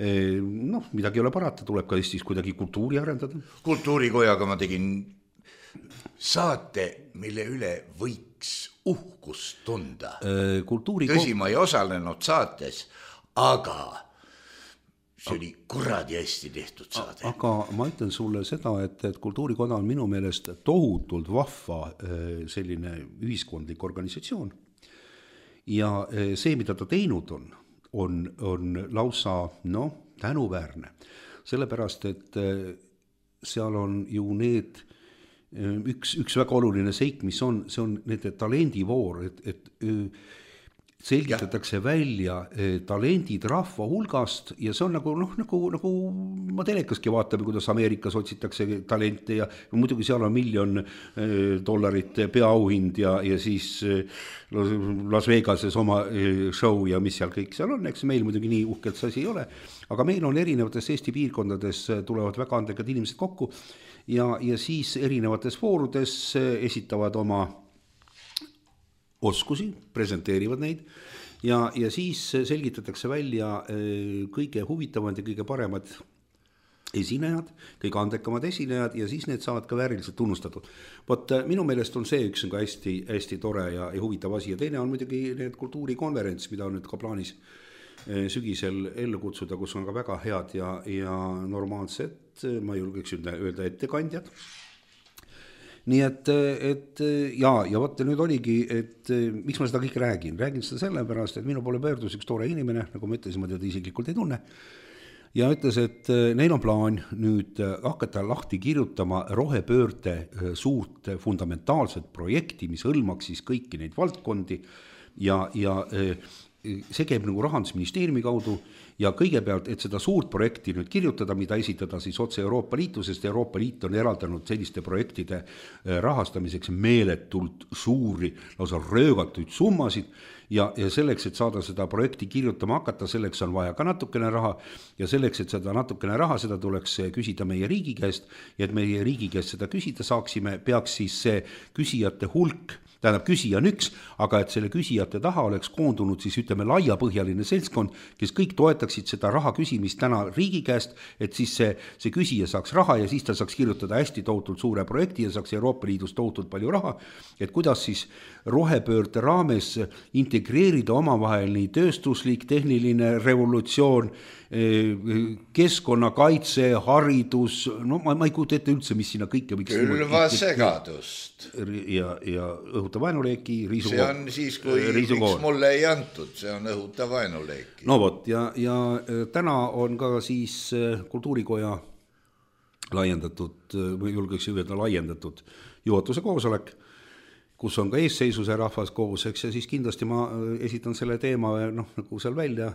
noh, midagi ei ole parata, tuleb ka Eestis kuidagi kultuuri arendada. Kultuurikojaga ma tegin saate, mille üle võiks uhkust tunda. Tõsi, ma ei osalenud saates, aga see oli kuradi hästi tehtud saade. Aga ma ütlen sulle seda, et Kultuurikoda on minu meelest tohutult vahva selline ühiskondlik organisatsioon. Ja see, mida ta teinud on lausa tänuväärne. Sellepärast, et seal on ju need üks väga oluline seik, mis on, see on nende talendivoor, et selgitatakse välja talendid rahva hulgast ja see on nagu ma telekaski vaatame, kuidas Ameerikas otsitakse talente ja muidugi seal on $1 000 peaauhind ja siis Las Vegases oma show ja mis seal kõik seal on, eks meil muidugi nii uhkelt see asi ei ole, aga meil on erinevates Eesti piirkondades tulevad väga andekad inimesed kokku ja siis erinevates foorudes esitavad oma oskusi, presenteerivad neid ja siis selgitatakse välja kõige huvitavad ja kõige paremad esinejad, kõige andekamad esinejad ja siis need saavad ka vääriliselt tunnustatud. Vot minu meelest on see üks hästi, hästi tore ja huvitav asi ja teine on muidugi need kultuurikonverents, mida on nüüd ka plaanis sügisel ellu kutsuda, kus on ka väga head ja normaalsed, ma julgeks öelda ettekandjad. Nii et ja võtta nüüd oligi, et miks ma seda kõik räägin seda sellepärast, et minu poole pöördus üks tore inimene, nagu ma ütlesin, ma teda isiklikult ei tunne ja ütles, et neil on plaan nüüd hakata lahti kirjutama rohepöörde suurt fundamentaalset projekti, mis hõlmaks siis kõiki neid valdkondi ja see käib nagu Rahandusministeeriumi kaudu ja kõigepealt, et seda suurt projekti nüüd kirjutada, mida esitada siis otse Euroopa Liitu, sest Euroopa Liit on eraldanud selliste projektide rahastamiseks meeletult suuri, lausa röögatuid summasid ja selleks, et saada seda projekti kirjutama hakata, selleks on vaja ka natukene raha ja selleks, et seda natukene raha, seda tuleks küsida meie riigi käest ja et meie riigi käest seda küsida saaksime, peaks siis see küsijate hulk, tähendab küsija on üks, aga et selle küsijate taha oleks koondunud siis ütleme laiapõhjaline seltskond, kes kõik toetaks alustaksid seda raha küsimist täna riigi käest, et siis see küsija saaks raha ja siis ta saaks kirjutada hästi tohutult suure projekti ja saaks Euroopa Liidust tohutult palju raha, et kuidas siis rohepöörde raames integreerida omavahel nii tööstuslik, tehniline revolutsioon, keskkonnakaitse, haridus, no ma ei kujuta ette üldse, mis sinna kõike võiks külvasegadust ja õhuta vaenuleeki, see on siis, kui miks mulle ei antud, see on õhuta vaenuleeki. No vot, ja täna on ka siis Kultuurikoja laiendatud, või julgeks öelda laiendatud juhatuse koosolek, kus on ka eesseisuse rahvas koos, eks, ja siis kindlasti ma esitan selle teema nagu seal välja,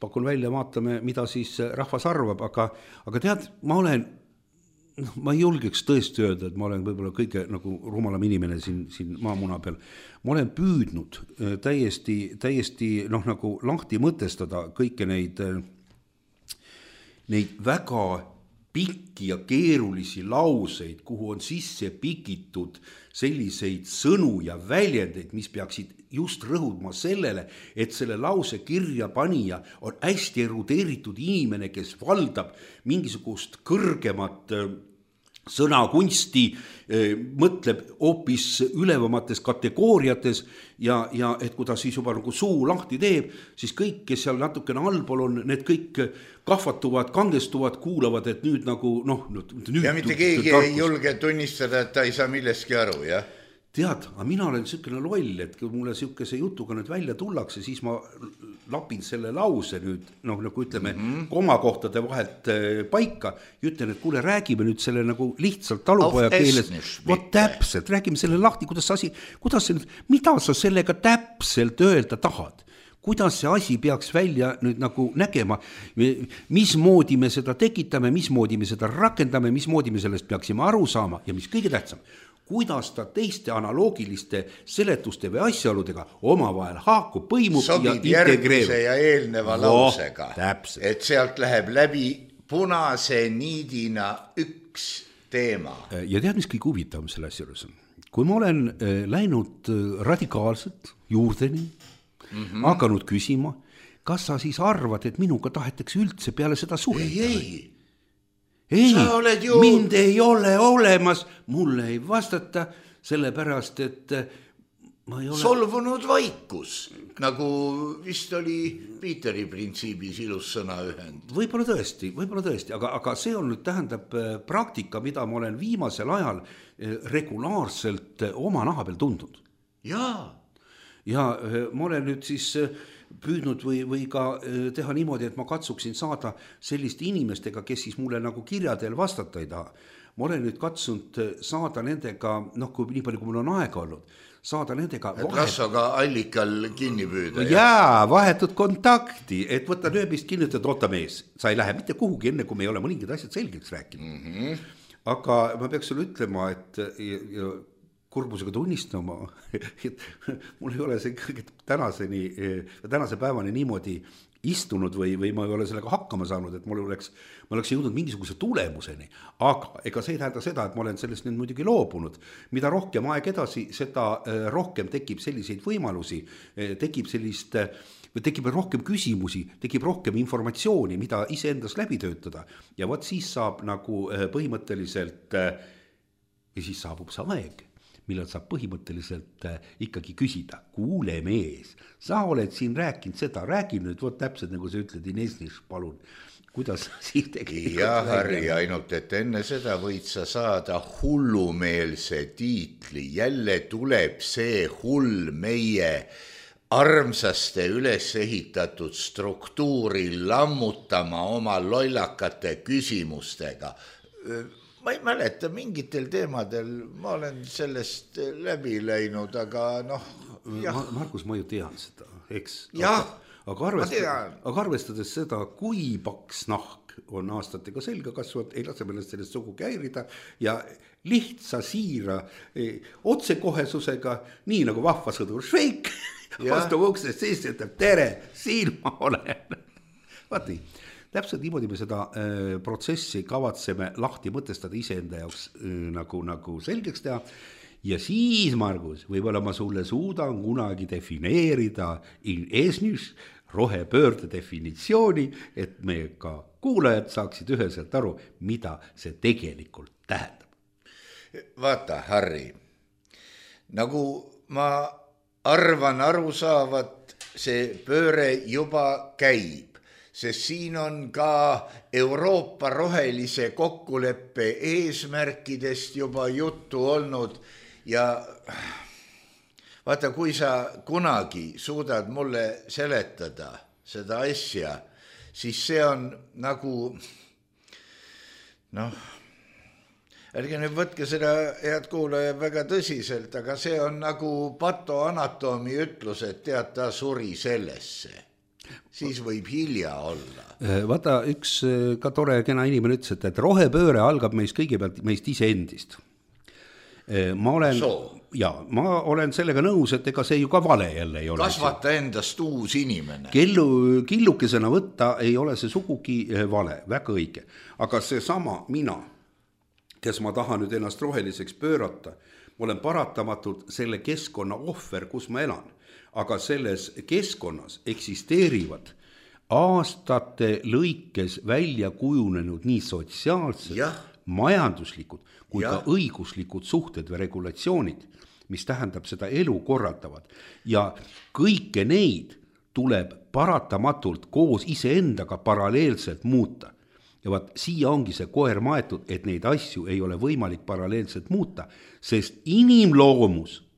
pakun välja, vaatame, mida siis rahvas arvab, aga tead, ma ei julgeks tõesti öelda, et ma olen võib-olla kõige nagu rumalam inimene siin maamuna peal. Ma olen püüdnud täiesti nagu lahti mõtestada kõike neid väga pikki ja keerulisi lauseid, kuhu on sisse pikitud selliseid sõnu ja väljendeid, mis peaksid just rõhudma sellele, et selle lause kirja panija on hästi erudeeritud inimene, kes valdab mingisugust kõrgemat sõnakunsti, mõtleb hoopis ülevamates kategooriates ja et kui ta siis juba nagu suu lahti teeb, siis kõik, kes seal natukene allpool on, need kõik kahvatuvad, kangestuvad, kuulavad, et nüüd nagu ja mitte keegi ei julge tunnistada, et ta ei saa millestki aru, jah? Tead, aga mina olen niisugune loll, et kui mulle niisuguse jutuga nüüd välja tullakse, siis ma lapin selle lause nüüd, nagu ütleme, komakohtade vahelt paika ja ütlen, et kuule, räägime nüüd selle nagu lihtsalt talupoja keeles. Vot täpselt, räägime selle lahti, mida sa sellega täpselt öelda tahad? Kuidas see asi peaks välja nüüd nagu nägema, mismoodi me seda tekitame, mismoodi me seda rakendame, mismoodi me sellest peaksime aru saama ja mis kõige tähtsam, kuidas ta teiste analoogiliste seletuste või asjaoludega omavahel haakub, põimub sobib ja integreerub. Järgmise ja eelneva lausega, täpselt. Et sealt läheb läbi punase niidina üks teema. Ja tead, mis kõik huvitavam selle asja juures on? Kui ma olen läinud radikaalselt juurdeni, hakanud küsima, kas sa siis arvad, et minuga tahetakse üldse peale seda suhelda? Ei, mind ei ole olemas, mulle ei vastata, sellepärast, et ma ei ole... Solvunud vaikus, nagu vist oli Piiteri printsiibis ilus sõnaühend. Võib-olla tõesti, aga see on nüüd tähendab praktika, mida ma olen viimasel ajal regulaarselt oma naha peal tundnud. Jaa. Ja ma olen nüüd siis... püüdnud või ka teha niimoodi, et ma katsuksin saada selliste inimestega, kes siis mulle nagu kirjadel vastata ei taha. Ma olen nüüd katsunud saada nendega, nii palju kui mul on aega olnud, saada nendega Rassoga allikal kinni püüda. Jaa, vahetud kontakti, et võtta nööbist kinni, et oota mees, sa ei lähe mitte kuhugi enne, kui me ei ole mõningad asjad selgeks rääkinud. Aga ma peaks sulle ütlema, et kurbusega tunnistama, et mul ei ole see tänase päevani niimoodi istunud või ma ei ole sellega hakkama saanud, et ma oleks jõudnud mingisuguse tulemuseni, aga ega see ei tähenda seda, et ma olen sellest nüüd muidugi loobunud. Mida rohkem aeg edasi, seda rohkem tekib selliseid võimalusi, tekib rohkem küsimusi, tekib rohkem informatsiooni, mida iseendas läbi töötada ja vot siis saab nagu põhimõtteliselt ja siis saabub see aeg, millal saab põhimõtteliselt ikkagi küsida, kuule mees, sa oled siin rääkinud seda, räägi nüüd, vot täpselt nagu sa ütled, Inesnis, palun, kuidas siis tegelikult... Ja Harri, ainult et enne seda võid sa saada hullumeelse tiitli, jälle tuleb see hull meie armsaste üles ehitatud struktuuri lammutama oma lollakate küsimustega. Ma ei mäleta, mingitel teemadel ma olen sellest läbi läinud, aga Markus, ma ju tean seda, eks? Jah, aga arvestades seda, kui paks nahk on aastatega selga kasvanud, ei lase meelest sellest sugugi häirida ja lihtsa siira otsekohesusega, nii nagu vahva sõdur Šveik, vastu uksest sees ütleb, tere, siin ma olen. Vaat nii. Täpselt niimoodi me seda protsessi kavatseme lahti mõtestada iseenda jaoks nagu selgeks teha ja siis, Margus, võib-olla ma sulle suudan kunagi defineerida in esnis rohepöörde definitsiooni, et meie ka kuulajad saaksid üheselt aru, mida see tegelikult tähendab. Vaata, Harri, nagu ma arvan aru saavat, see pööre juba käib, sest siin on ka Euroopa rohelise kokkuleppe eesmärkidest juba juttu olnud ja vaata, kui sa kunagi suudad mulle seletada seda asja, siis see on nagu, ärge nüüd võtke seda, head kuulaja, väga tõsiselt, aga see on nagu patoanatoomi ütlus, et tead, ta suri sellesse. Siis võib hilja olla. Vaata, üks ka tore kena inimene ütles, et rohepööre algab meist kõigepealt meist iseendist. Ma olen sellega nõus, et ega see ju ka vale jälle ei ole. Kasvata endast uus inimene. Killukesena võtta ei ole see sugugi vale, väga õige. Aga see sama mina, kes ma tahan nüüd ennast roheliseks pöörata, ma olen paratamatult selle keskkonna ohver, kus ma elan. Aga selles keskkonnas eksisteerivad aastate lõikes välja kujunenud nii sotsiaalsed, majanduslikud kui ka õiguslikud suhted või regulatsioonid, mis tähendab seda elu korraldavad. Ja kõike neid tuleb paratamatult koos iseendaga paralleelselt muuta. Ja vaat siia ongi see koer maetud, et neid asju ei ole võimalik paralleelselt muuta, sest inimloomus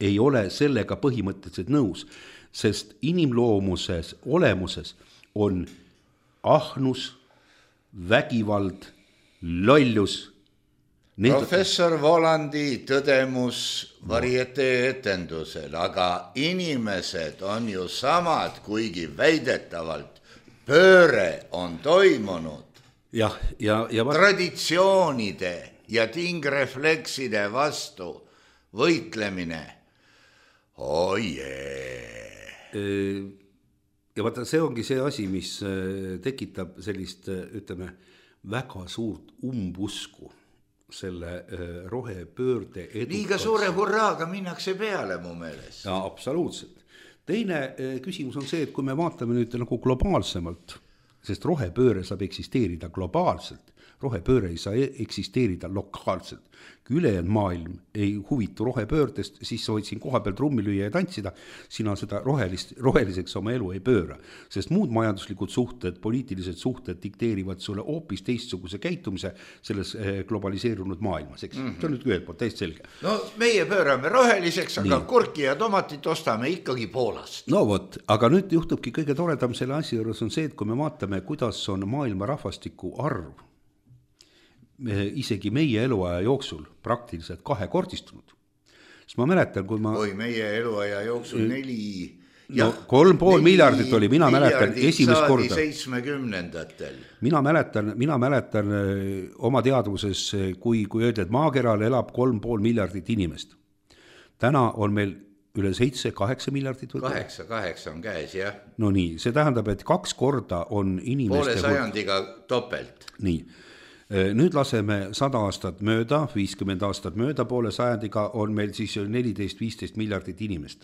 ei ole sellega põhimõtteliselt nõus, sest inimloomuses olemuses on ahnus, vägivald, lollus. Professor Volandi tõdemus varietee etendusel, aga inimesed on ju samad, kuigi väidetavalt pööre on toimunud. Ja traditsioonide ja tingreflekside vastu võitlemine. Ja vaata, see ongi see asi, mis tekitab sellist, ütleme, väga suurt umbusku selle rohepöörde edukas. Liiga suure hurraaga minnakse peale mu meelest. Ja absoluutselt. Teine küsimus on see, et kui me vaatame nüüd nagu globaalsemalt, sest rohepööre saab eksisteerida globaalselt, rohepööre ei saa eksisteerida lokaalselt. Kui ülejäänud maailm ei huvitu rohepöördest, siis sa võid siin koha peal trummi lüüa ja tantsida, sina seda roheliseks oma elu ei pööra. Sest muud majanduslikud suhted, poliitilised suhted dikteerivad sulle hoopis teistsuguse käitumise selles globaliseerunud maailmas. See on nüüd ühelt poolt täiesti selge. No meie pöörame roheliseks, aga kurki ja tomatit ostame ikkagi Poolast. No vot, aga nüüd juhtubki kõige toredam selle asja juures on see, et kui me vaatame, kuidas on maailma rahvastiku arv isegi meie eluaja jooksul praktiliselt kahekordistunud. Siis ma mäletan, kui ma... meie eluaja jooksul 3,5 miljardit oli, mina mäletan esimest korda. 70-ndatel. Mina mäletan oma teadvuses, kui öeldi, et maakeral elab 3,5 miljardit inimest. Täna on meil üle 7-8 miljardit. 8 on käes, jah. No nii, see tähendab, et 2 korda on inimeste... Poole sajandiga topelt. Nii. Nüüd laseme 100 aastat mööda, 50 aastat mööda, poole sajandiga on meil siis 14-15 miljardit inimest.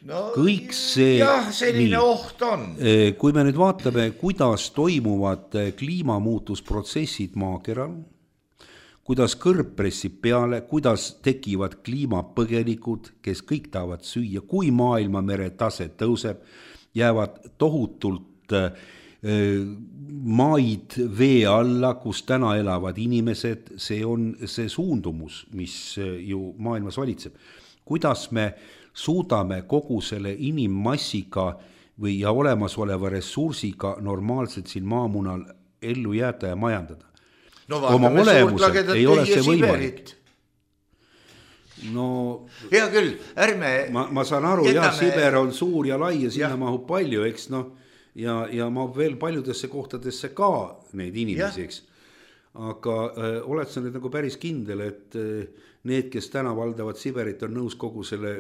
No, kõik see... Jah, selline oht on. Kui me nüüd vaatame, kuidas toimuvad kliimamuutusprotsessid maakeral, kuidas kõrb pressib peale, kuidas tekivad kliimapõgenikud, kes kõik tahavad süüa, kui maailma mere tase tõuseb, jäävad tohutult... maid vee alla, kus täna elavad inimesed, see on see suundumus, mis ju maailmas valitseb. Kuidas me suudame kogu selle inimmassiga või ja olemasoleva ressursiga normaalselt siin maamunal ellu jääda ja majandada? No vaatame suurtlagedad tühja Siberit. No, hea küll, ärme... Ma saan aru, Siber on suur ja lai ja sinna mahub palju, eks ja ma veel paljudesse kohtadesse ka neid inimesi, eks. Aga oled sa nüüd nagu päris kindel, et need, kes täna valdavad Siberit, on nõus kogu selle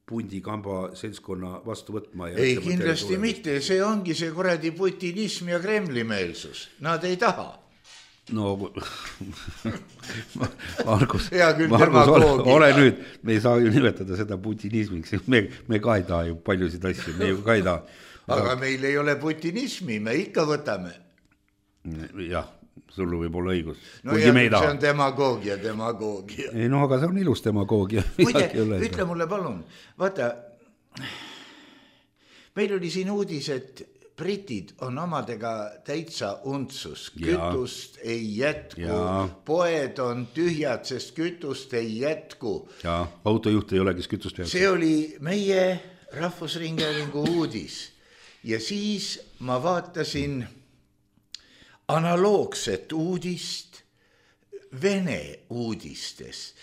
pundikamba seltskonna vastu võtma? Ei, kindlasti mitte, see ongi see kuradi putinism ja Kremli meelsus. Nad ei taha. no Margus, ole nüüd, me ei saa ju nimetada seda putinismiks, me ka ei taha ju paljusid asju, me ju ka ei taha. Aga meil ei ole putinismi, me ikka võtame. Jah, sul võib olla õigus. No ja, see on demagoogia. Ei, no aga see on ilus demagoogia. Muide, ütle mulle palun, vaata, meil oli siin uudis, et britid on omadega täitsa untsus, kütust ei jätku, poed on tühjad, sest kütust ei jätku. Ja autojuht ei ole, kes kütust peab. See oli meie Rahvusringhäälingu uudis ja siis ma vaatasin analoogset uudist Vene uudistes.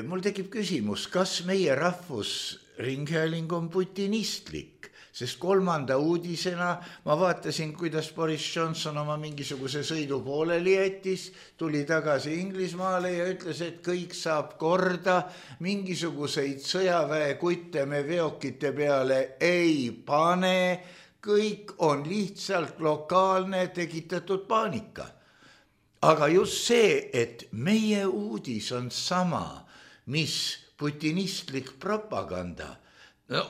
Mul tekib küsimus, kas meie Rahvusringhääling on putinistlik? Sest 3. uudisena ma vaatasin, kuidas Boris Johnson oma mingisuguse sõidu pooleli jättis, tuli tagasi Inglismaale ja ütles, et kõik saab korda, mingisuguseid sõjaväe kutte me veokite peale ei pane, kõik on lihtsalt lokaalne tekitatud paanika. Aga just see, et meie uudis on sama, mis putinistlik propaganda, no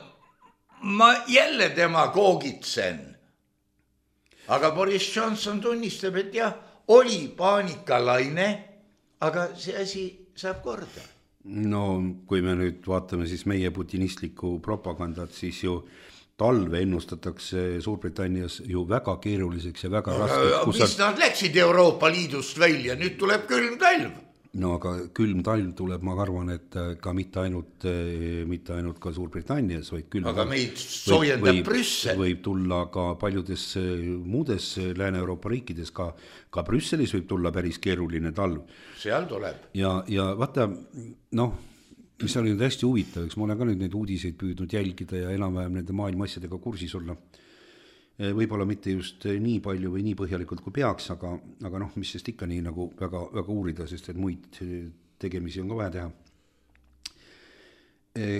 ma jälle demagoogitsen. Aga Boris Johnson tunnistab, et jah, oli paanikalaine, aga see asi saab korda. No kui me nüüd vaatame siis meie putinistlikku propagandat, siis ju talve ennustatakse Suurbritannias ju väga keeruliseks ja väga raskeks. Mis nad läksid Euroopa Liidust välja, nüüd tuleb külm talv. No aga külm talv tuleb, ma arvan, et ka mitte ainult ka Suurbritannias, vaid külm aga meid soojendab Brüssel. Võib tulla ka paljudes muudes Lääne-Euroopa riikides, ka Brüsselis võib tulla päris keeruline talv. Seal tuleb. Ja vaata, noh, mis oli nüüd hästi huvitav, eks ma olen ka nüüd neid uudiseid püüdnud jälgida ja enam-vähem nende maailma asjadega kursis olla. Võib-olla mitte just nii palju või nii põhjalikult kui peaks, aga noh, mis sest ikka nii nagu väga, väga uurida, sest et muid tegemisi on ka vaja teha.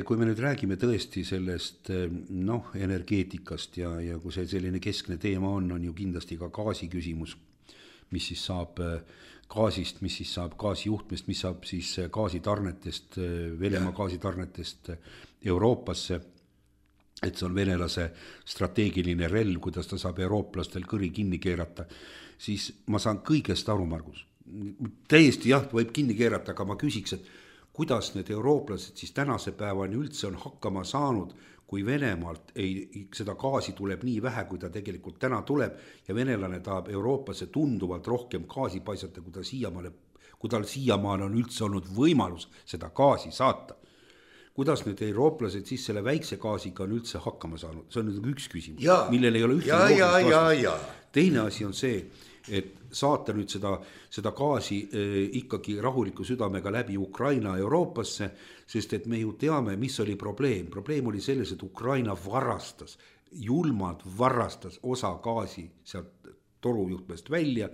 Kui me nüüd räägime tõesti sellest energeetikast ja kui see selline keskne teema on ju kindlasti ka gaasi küsimus, mis siis saab gaasist, mis siis saab gaasijuhtmest, mis saab siis gaasitarnetest, Venemaa gaasitarnetest Euroopasse, et see on venelase strateegiline relv, kuidas ta saab eurooplastel kõri kinni keerata, siis ma saan kõigest aru, Margus. Täiesti jah, võib kinni keerata, aga ma küsiks, et kuidas need eurooplased siis tänase päevani üldse on hakkama saanud, kui Venemaalt seda gaasi tuleb nii vähe, kui ta tegelikult täna tuleb ja venelane tahab Euroopasse tunduvalt rohkem gaasi paisata, kui tal siiamaale on üldse olnud võimalus seda gaasi saata. Kuidas nüüd eurooplased siis selle väikse gaasiga on üldse hakkama saanud? See on nüüd üks küsimus, millel ei ole üldse vastust. Teine asi on see, et saata nüüd seda gaasi ikkagi rahuliku südamega läbi Ukraina Euroopasse, sest et me ju teame, mis oli probleem. Probleem oli selles, et Ukraina julmalt varastas osa gaasi sealt torujuhtmest välja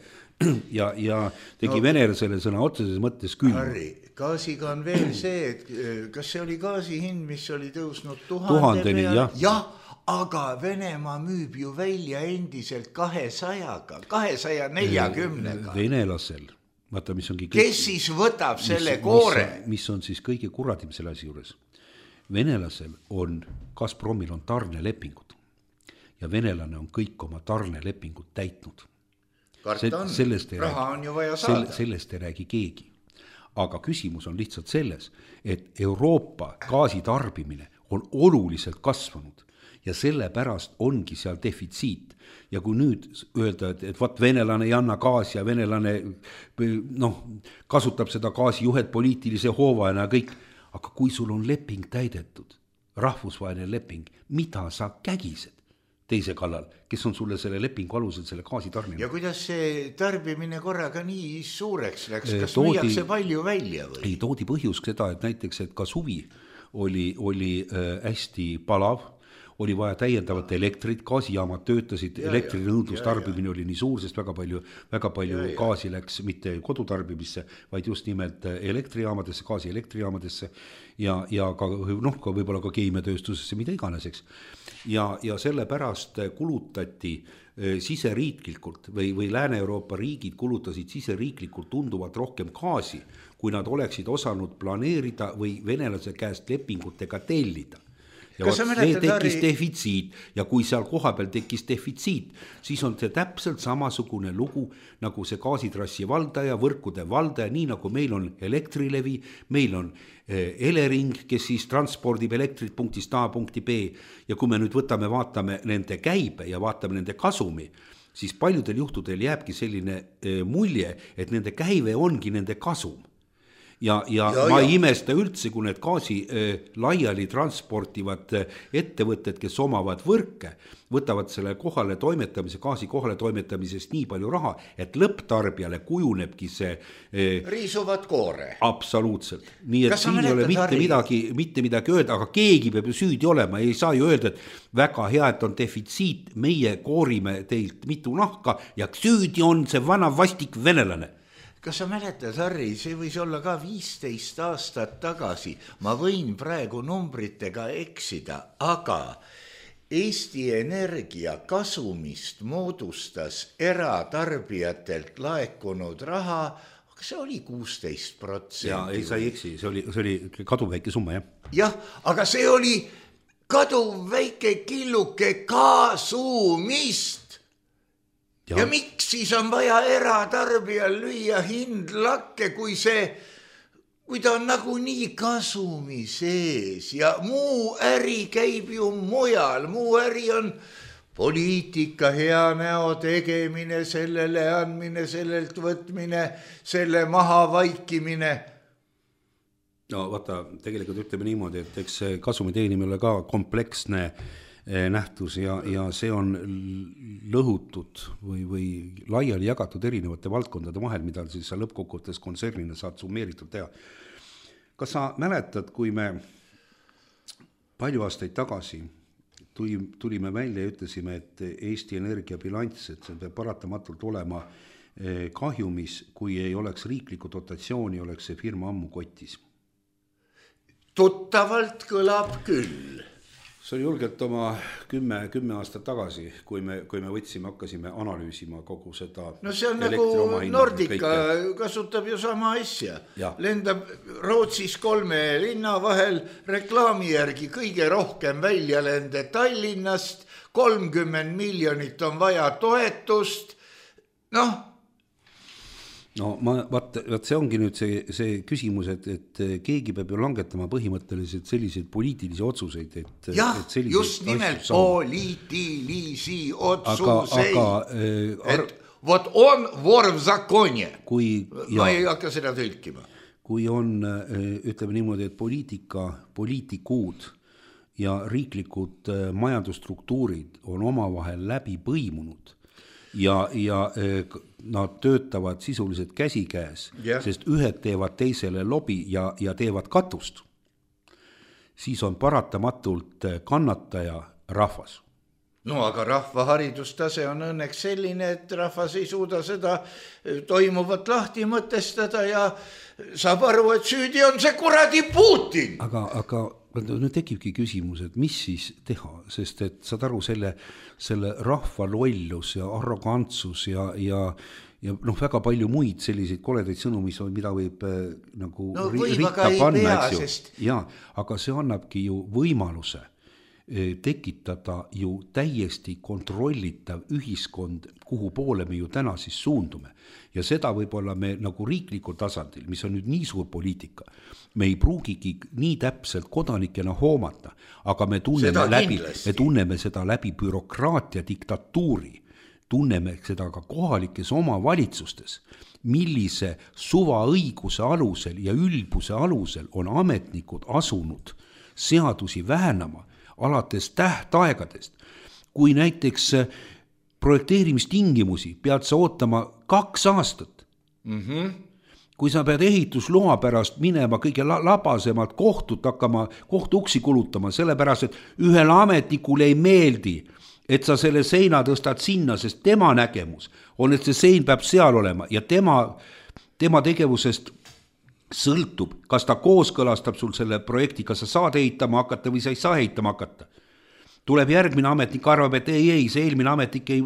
ja tegi venelasele sõna otseses mõttes külma. Harri, gaasiga on veel see, et kas see oli gaasi hind, mis oli tõusnud 1000 peale? Jah, aga Venemaa müüb ju välja endiselt 200-ga, 240-ga. Venelasel, vaata, mis ongi... Kes siis võtab selle koore? Mis on siis kõige kuradim selle asi juures? Venelasel on, Gazpromil on tarnelepingud ja venelane on kõik oma tarnelepingud täitnud. Raha on ju vaja saada. Sellest ei räägi keegi. Aga küsimus on lihtsalt selles, et Euroopa gaasitarbimine on oluliselt kasvanud ja sellepärast ongi seal defitsiit. Ja kui nüüd öelda, et vaat venelane ei anna gaasi ja venelane kasutab seda gaasijuhet poliitilise hoovajana ja kõik, aga kui sul on leping täidetud, rahvusvaheline leping, mida sa kägised teise kallal, kes on sulle selle lepingu alusel selle gaasi tarninud? Ja kuidas see tarbimine korraga nii suureks läks? Kas müüakse palju välja või? Ei, toodi põhjus seda, et näiteks, et ka suvi oli hästi palav, oli vaja täiendavat elektrit, gaasijaamad töötasid, elektrinõudlus tarbimine oli nii suur, sest väga palju gaasi läks mitte kodutarbimisse, vaid just nimelt elektrijaamadesse, gaasi elektrijaamadesse ja ka võib-olla ka keemiatööstusesse, mida iganes, eks. Ja sellepärast kulutati siseriiklikult või Lääne-Euroopa riigid kulutasid siseriiklikult tunduvalt rohkem gaasi, kui nad oleksid osanud planeerida või venelase käest lepingutega tellida. Ja see tekkis defitsiit ja kui seal koha peal tekkis defitsiit, siis on see täpselt samasugune lugu nagu see gaasitrassi valdaja, võrkude valdaja, nii nagu meil on Elektrilevi, meil on Elering, kes siis transpordib elektrit punktist A punkti B ja kui me nüüd vaatame nende käibe ja vaatame nende kasumi, siis paljudel juhtudel jääbki selline mulje, et nende käive ongi nende kasum. Ja ma ei imesta üldse, kui need gaasi laiali transportivad ettevõtted, kes omavad võrke, võtavad selle gaasi kohale toimetamisest nii palju raha, et lõpptarbijale kujunebki see riisuvad koore. Absoluutselt. Nii et siin ei ole mitte midagi öelda, aga keegi peab ju süüdi olema. Ei saa ju öelda, et väga hea, et on defitsiit, meie koorime teilt mitu nahka ja süüdi on see vana vastik venelane. Kas sa mäletad, Harri, see võis olla ka 15 aastat tagasi, ma võin praegu numbritega eksida, aga Eesti Energia kasumist moodustas eratarbijatelt laekunud raha, aga see oli 16%. Ja ei, sa ei eksi, see oli kaduvväike summa, jah? Jah, aga see oli kaduvväike killuke kasumist. Ja miks siis on vaja eratarbijal lüüa hind lakke, kui ta on nagu nii kasumi sees ja muu äri käib ju mujal, muu äri on poliitika hea näo tegemine, sellele andmine, sellelt võtmine, selle maha vaikimine. No vaata, tegelikult ütleme niimoodi, et eks kasumi teenimine ka kompleksne nähtus ja see on lõhutud või laiali jagatud erinevate valdkondade vahel, mida siis sa lõppkokkuvõttes kontsernina saad summeeritud teha. Kas sa mäletad, kui me palju aastaid tagasi tulime välja ja ütlesime, et Eesti Energia bilanss, et see peab paratamatult olema kahjumis, kui ei oleks riiklikku dotatsiooni, oleks see firma ammu kotis? Tuttavalt kõlab küll. See oli julgelt oma 10 aastat tagasi, kui me hakkasime analüüsima kogu seda. No see on nagu Nordica kasutab ju sama asja. Lendab Rootsis 3 linna vahel reklaami järgi kõige rohkem väljalende Tallinnast, 30 miljonit on vaja toetust. No vaat see ongi nüüd see küsimus, et keegi peab ju langetama põhimõtteliselt selliseid poliitilisi otsuseid, et just nimelt poliitilisi otsuseid, et vot on vor v zakonie, ma ei hakka seda tõlkima. Kui on, ütleme niimoodi, et poliitikud ja riiklikud majandusstruktuurid on omavahel läbi põimunud ja nad töötavad sisuliselt käsikäes, sest ühed teevad teisele lobi ja teevad katust, siis on paratamatult kannataja rahvas. No aga rahva haridustase on õnneks selline, et rahvas ei suuda seda toimuvat lahti mõtestada ja saab aru, et süüdi on see kuradi Putin. Aga nüüd tekibki küsimus, et mis siis teha, sest et saad aru selle rahva lollus ja arrogantsus ja väga palju muid selliseid koledaid sõnu, mida võib nagu ritta panna, eks ju. Ja, aga see annabki ju võimaluse tekitada ju täiesti kontrollitav ühiskond, kuhu poole me ju täna siis suundume. Ja seda võib-olla me nagu riiklikul tasandil, mis on nüüd nii suur poliitika, me ei pruugigi nii täpselt kodanikena hoomata, aga me tunneme seda läbi bürokraatia diktatuuri, tunneme seda ka kohalikes omavalitsustes, millise suvaõiguse alusel ja ülbuse alusel on ametnikud asunud seadusi väänama alates tähtaegadest. Kui näiteks projekteerimistingimusi pead sa ootama 2 aastat, kui sa pead ehitusloa pärast minema kõige labasemalt kohtut hakkama, kohtuuksi kulutama, sellepärast, et ühele ametnikule ei meeldi, et sa selle seina tõstad sinna, sest tema nägemus on, et see sein peab seal olema ja tema tegevusest sõltub, kas ta kooskõlastab sul selle projekti, kas sa saad ehitama hakata või sa ei saa ehitama hakata. Tuleb järgmine ametnik, arvab, et ei, see eelmine ametnik ei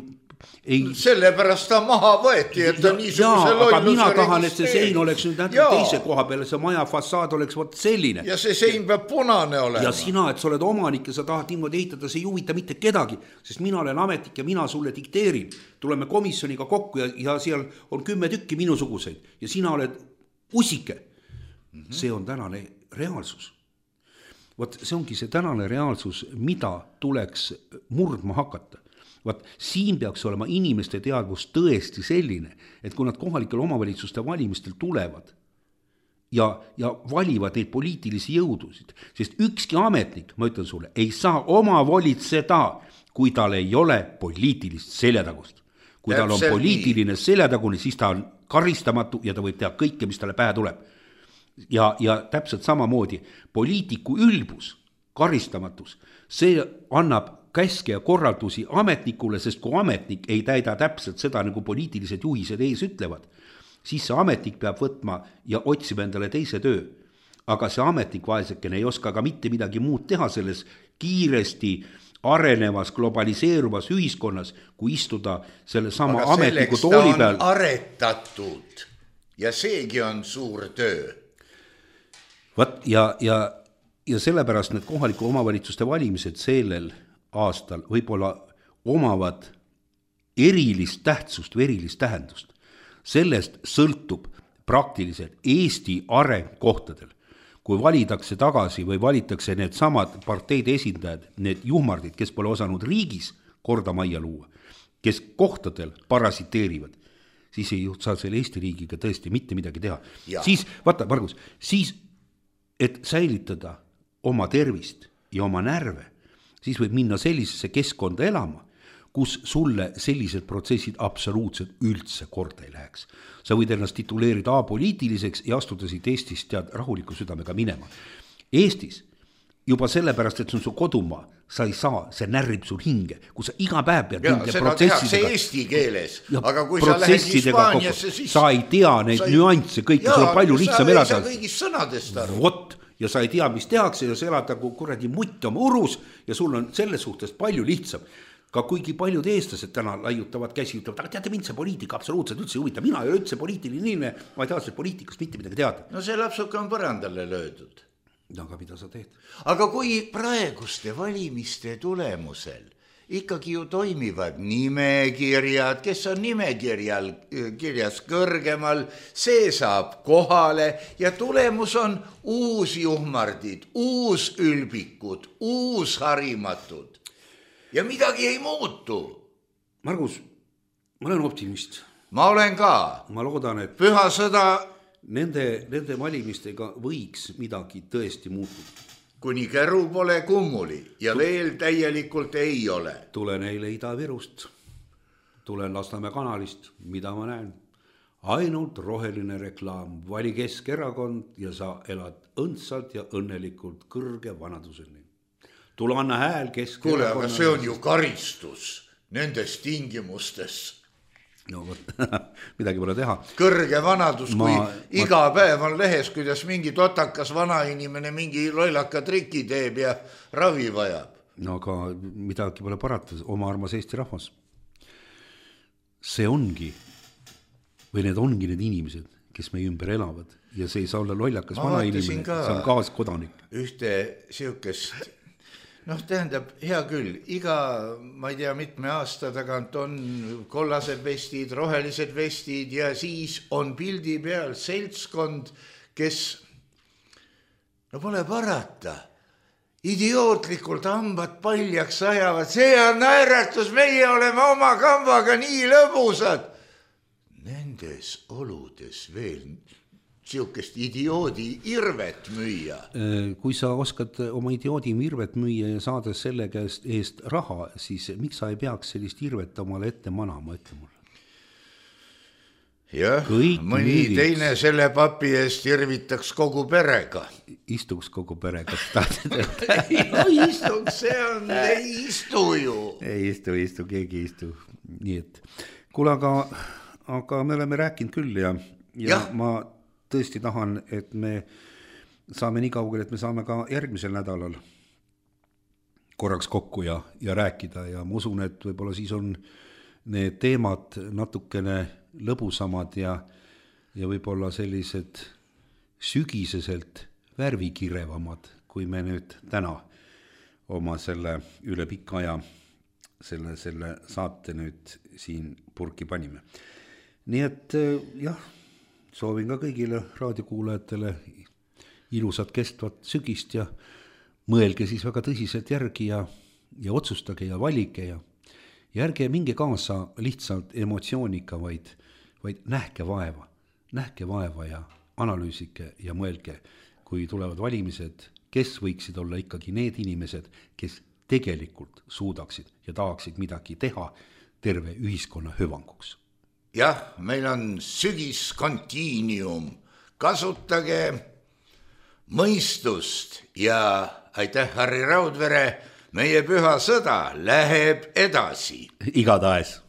sellepärast ta maha võeti, et ta niisuguse lolluse aga mina tahan, et see sein oleks nüüd teise koha peale, see maja fassaad oleks vot selline. Ja see sein peab punane olema. Ja sina, et sa oled omanik ja sa tahad niimoodi ehitada, see ei huvita mitte kedagi, sest mina olen ametnik ja mina sulle dikteerin. Tuleme komisjoniga kokku ja seal on 10 tükki minusuguseid ja sina oled usike. See on tänane reaalsus. Vot see ongi see tänane reaalsus, mida tuleks murdma hakata. Vaat siin peaks olema inimeste teadvus tõesti selline, et kui nad kohalikel omavalitsuste valimistel tulevad ja valivad neid poliitilisi jõudusid, sest ükski ametnik, ma ütlen sulle, ei saa oma volitseda, kui tal ei ole poliitilist seljatagust. Kui tal on poliitiline seljatagune, siis ta on karistamatu ja ta võib teha kõike, mis talle pähe tuleb. Ja täpselt samamoodi poliitiku ülbus, karistamatus, see annab käske ja korraldusi ametnikule, sest kui ametnik ei täida täpselt seda, nagu poliitilised juhised ees ütlevad, siis see ametnik peab võtma ja otsima endale teise töö. Aga see ametnik vaesekene ei oska ka mitte midagi muud teha selles kiiresti arenevas, globaliseeruvas ühiskonnas, kui istuda selle sama ametniku tooli peal. Aga selleks ta on aretatud ja seegi on suur töö. Vat, ja sellepärast need kohaliku omavalitsuste valimised sellel aastal võib-olla omavad erilist tähtsust või erilist tähendust. Sellest sõltub praktiliselt Eesti areng kohtadel. Kui valitakse tagasi või valitakse need samad parteide esindajad, need juhmardid, kes pole osanud riigis korda majja luua, kes kohtadel parasiteerivad, siis ei saa selle Eesti riigiga tõesti mitte midagi teha. Ja. Siis, vaata, Margus, siis, et säilitada oma tervist ja oma närve, siis võib minna sellisesse keskkonda elama, kus sulle sellised protsessid absoluutselt üldse korda ei läheks. Sa võid ennast tituleerida apoliitiliseks ja astuda siit Eestist tead rahuliku südamega minema. Eestis juba sellepärast, et see on su kodumaa, sa ei saa, see närrib sul hinge, kui sa iga päev pead seda tehakse eesti keeles, aga kui sa lähed Hispaaniasse, siis sa ei tea neid nüansse, kõike, sul on palju lihtsam elada. Sa ei saa kõigist sõnadest aru. Vot, ja sa ei tea, mis tehakse ja sa elad nagu kuradi mutt oma urus ja sul on selles suhtes palju lihtsam. Ka kuigi paljud eestlased täna laiutavad käsi, ütlevad, aga teate mind see poliitika absoluutselt üldse huvita, mina ei ole üldse poliitiline inimene, ma ei taha see poliitikast mitte midagi teada. No see lapsuke on põrandale löödud. No aga mida sa teed? Aga kui praeguste valimiste tulemusel ikkagi ju toimivad nimekirjad, kes on nimekirjas kõrgemal, see saab kohale ja tulemus on uus juhmardid, uus ülbikud, uus harimatud ja midagi ei muutu. Margus, ma olen optimist. Ma olen ka. Ma loodan, et püha sõda nende valimistega võiks midagi tõesti muutuda. Kuni käru pole kummuli ja veel täielikult ei ole. Tulen eile Ida-Virust, tulen Lasnamäe kanalist, mida ma näen. Ainult roheline reklaam, vali Keskerakond ja sa elad õndsalt ja õnnelikult kõrge vanaduseni. Tule anna hääl Keskerakond. Kuule, aga see on ju karistus nendes tingimustes. No, midagi pole teha. Kõrge vanadus, kui iga päev on lehes, kuidas mingi totakas vanainimene mingi loilaka triki teeb ja ravi vajab. No aga midagi pole parata, oma armas Eesti rahvas. See ongi, või need ongi need inimesed, kes meie ümber elavad ja see ei saa olla loilakas vanainimene, see on kaaskodanik. Ühte siukest... tähendab, hea küll, iga, ma ei tea, mitme aasta tagant on kollased vestid, rohelised vestid ja siis on pildi peal seltskond, kes, pole parata, idiootlikult hambad paljaks ajavad, see on naeratus, meie oleme oma kambaga nii lõbusad. Nendes oludes veel siukest idioodi irvet müüa. Kui sa oskad oma idioodi irvet müüa ja saada selle eest raha, siis miks sa ei peaks sellist irvet omale ette manama, ette mulle? jah, Kõik mõni müügiks. teine selle papi eest irvitaks kogu perega. Istuks kogu perega, tahtsid öelda. Istuks, see on, ei istu ju. Ei istu, keegi ei istu. Nii et, kuule, aga me oleme rääkinud küll ja ma tõesti tahan, et me saame nii kaugel, et me saame ka järgmisel nädalal korraks kokku ja rääkida ja ma usun, et võib-olla siis on need teemad natukene lõbusamad ja võib-olla sellised sügiseselt värvikirevamad, kui me nüüd täna oma selle üle pika aja selle saate nüüd siin purki panime. Nii et jah, soovin ka kõigile raadiokuulajatele ilusat kestvat sügist ja mõelge siis väga tõsiselt järgi ja otsustage ja valige ja ärge minge kaasa lihtsalt emotsiooniga, vaid nähke vaeva ja analüüsike ja mõelge, kui tulevad valimised, kes võiksid olla ikkagi need inimesed, kes tegelikult suudaksid ja tahaksid midagi teha terve ühiskonna hüvanguks. Jah, meil on sügiskontiinium, kasutage mõistust ja aitäh, Harri Raudvere, meie püha sõda läheb edasi. Igatahes.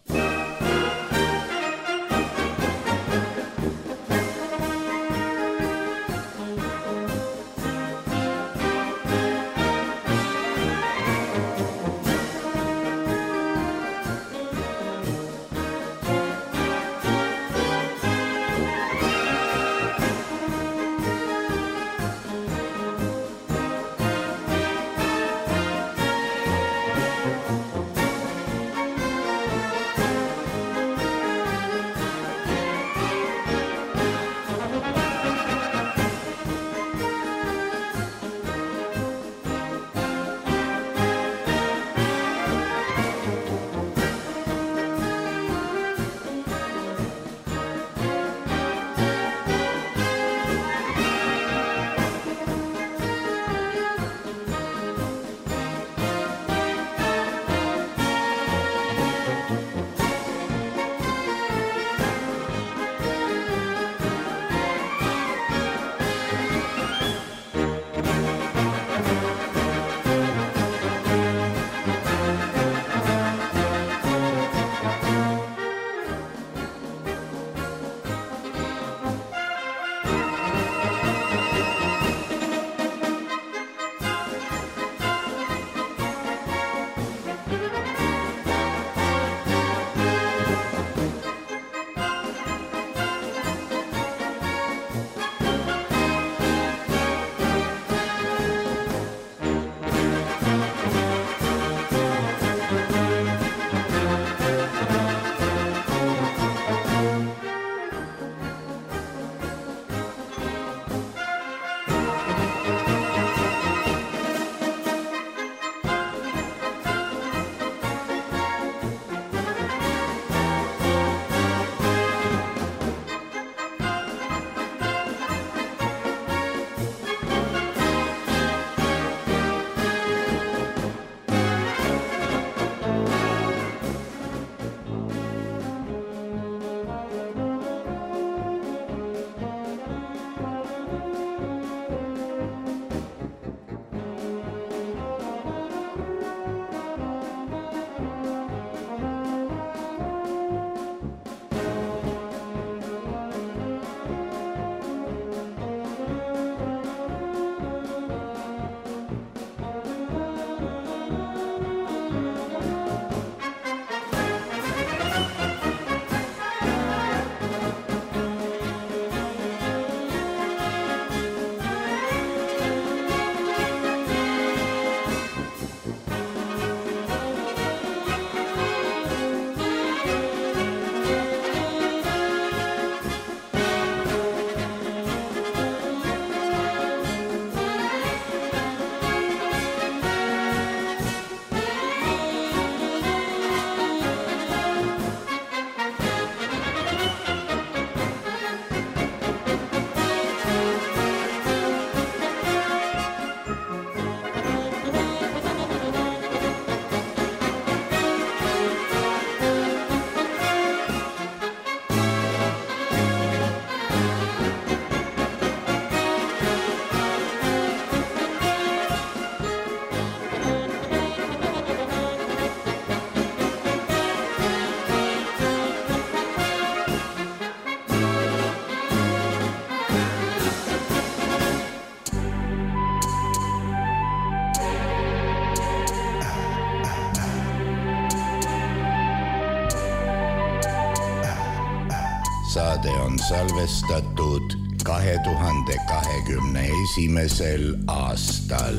saade on salvestatud 2021. aastal.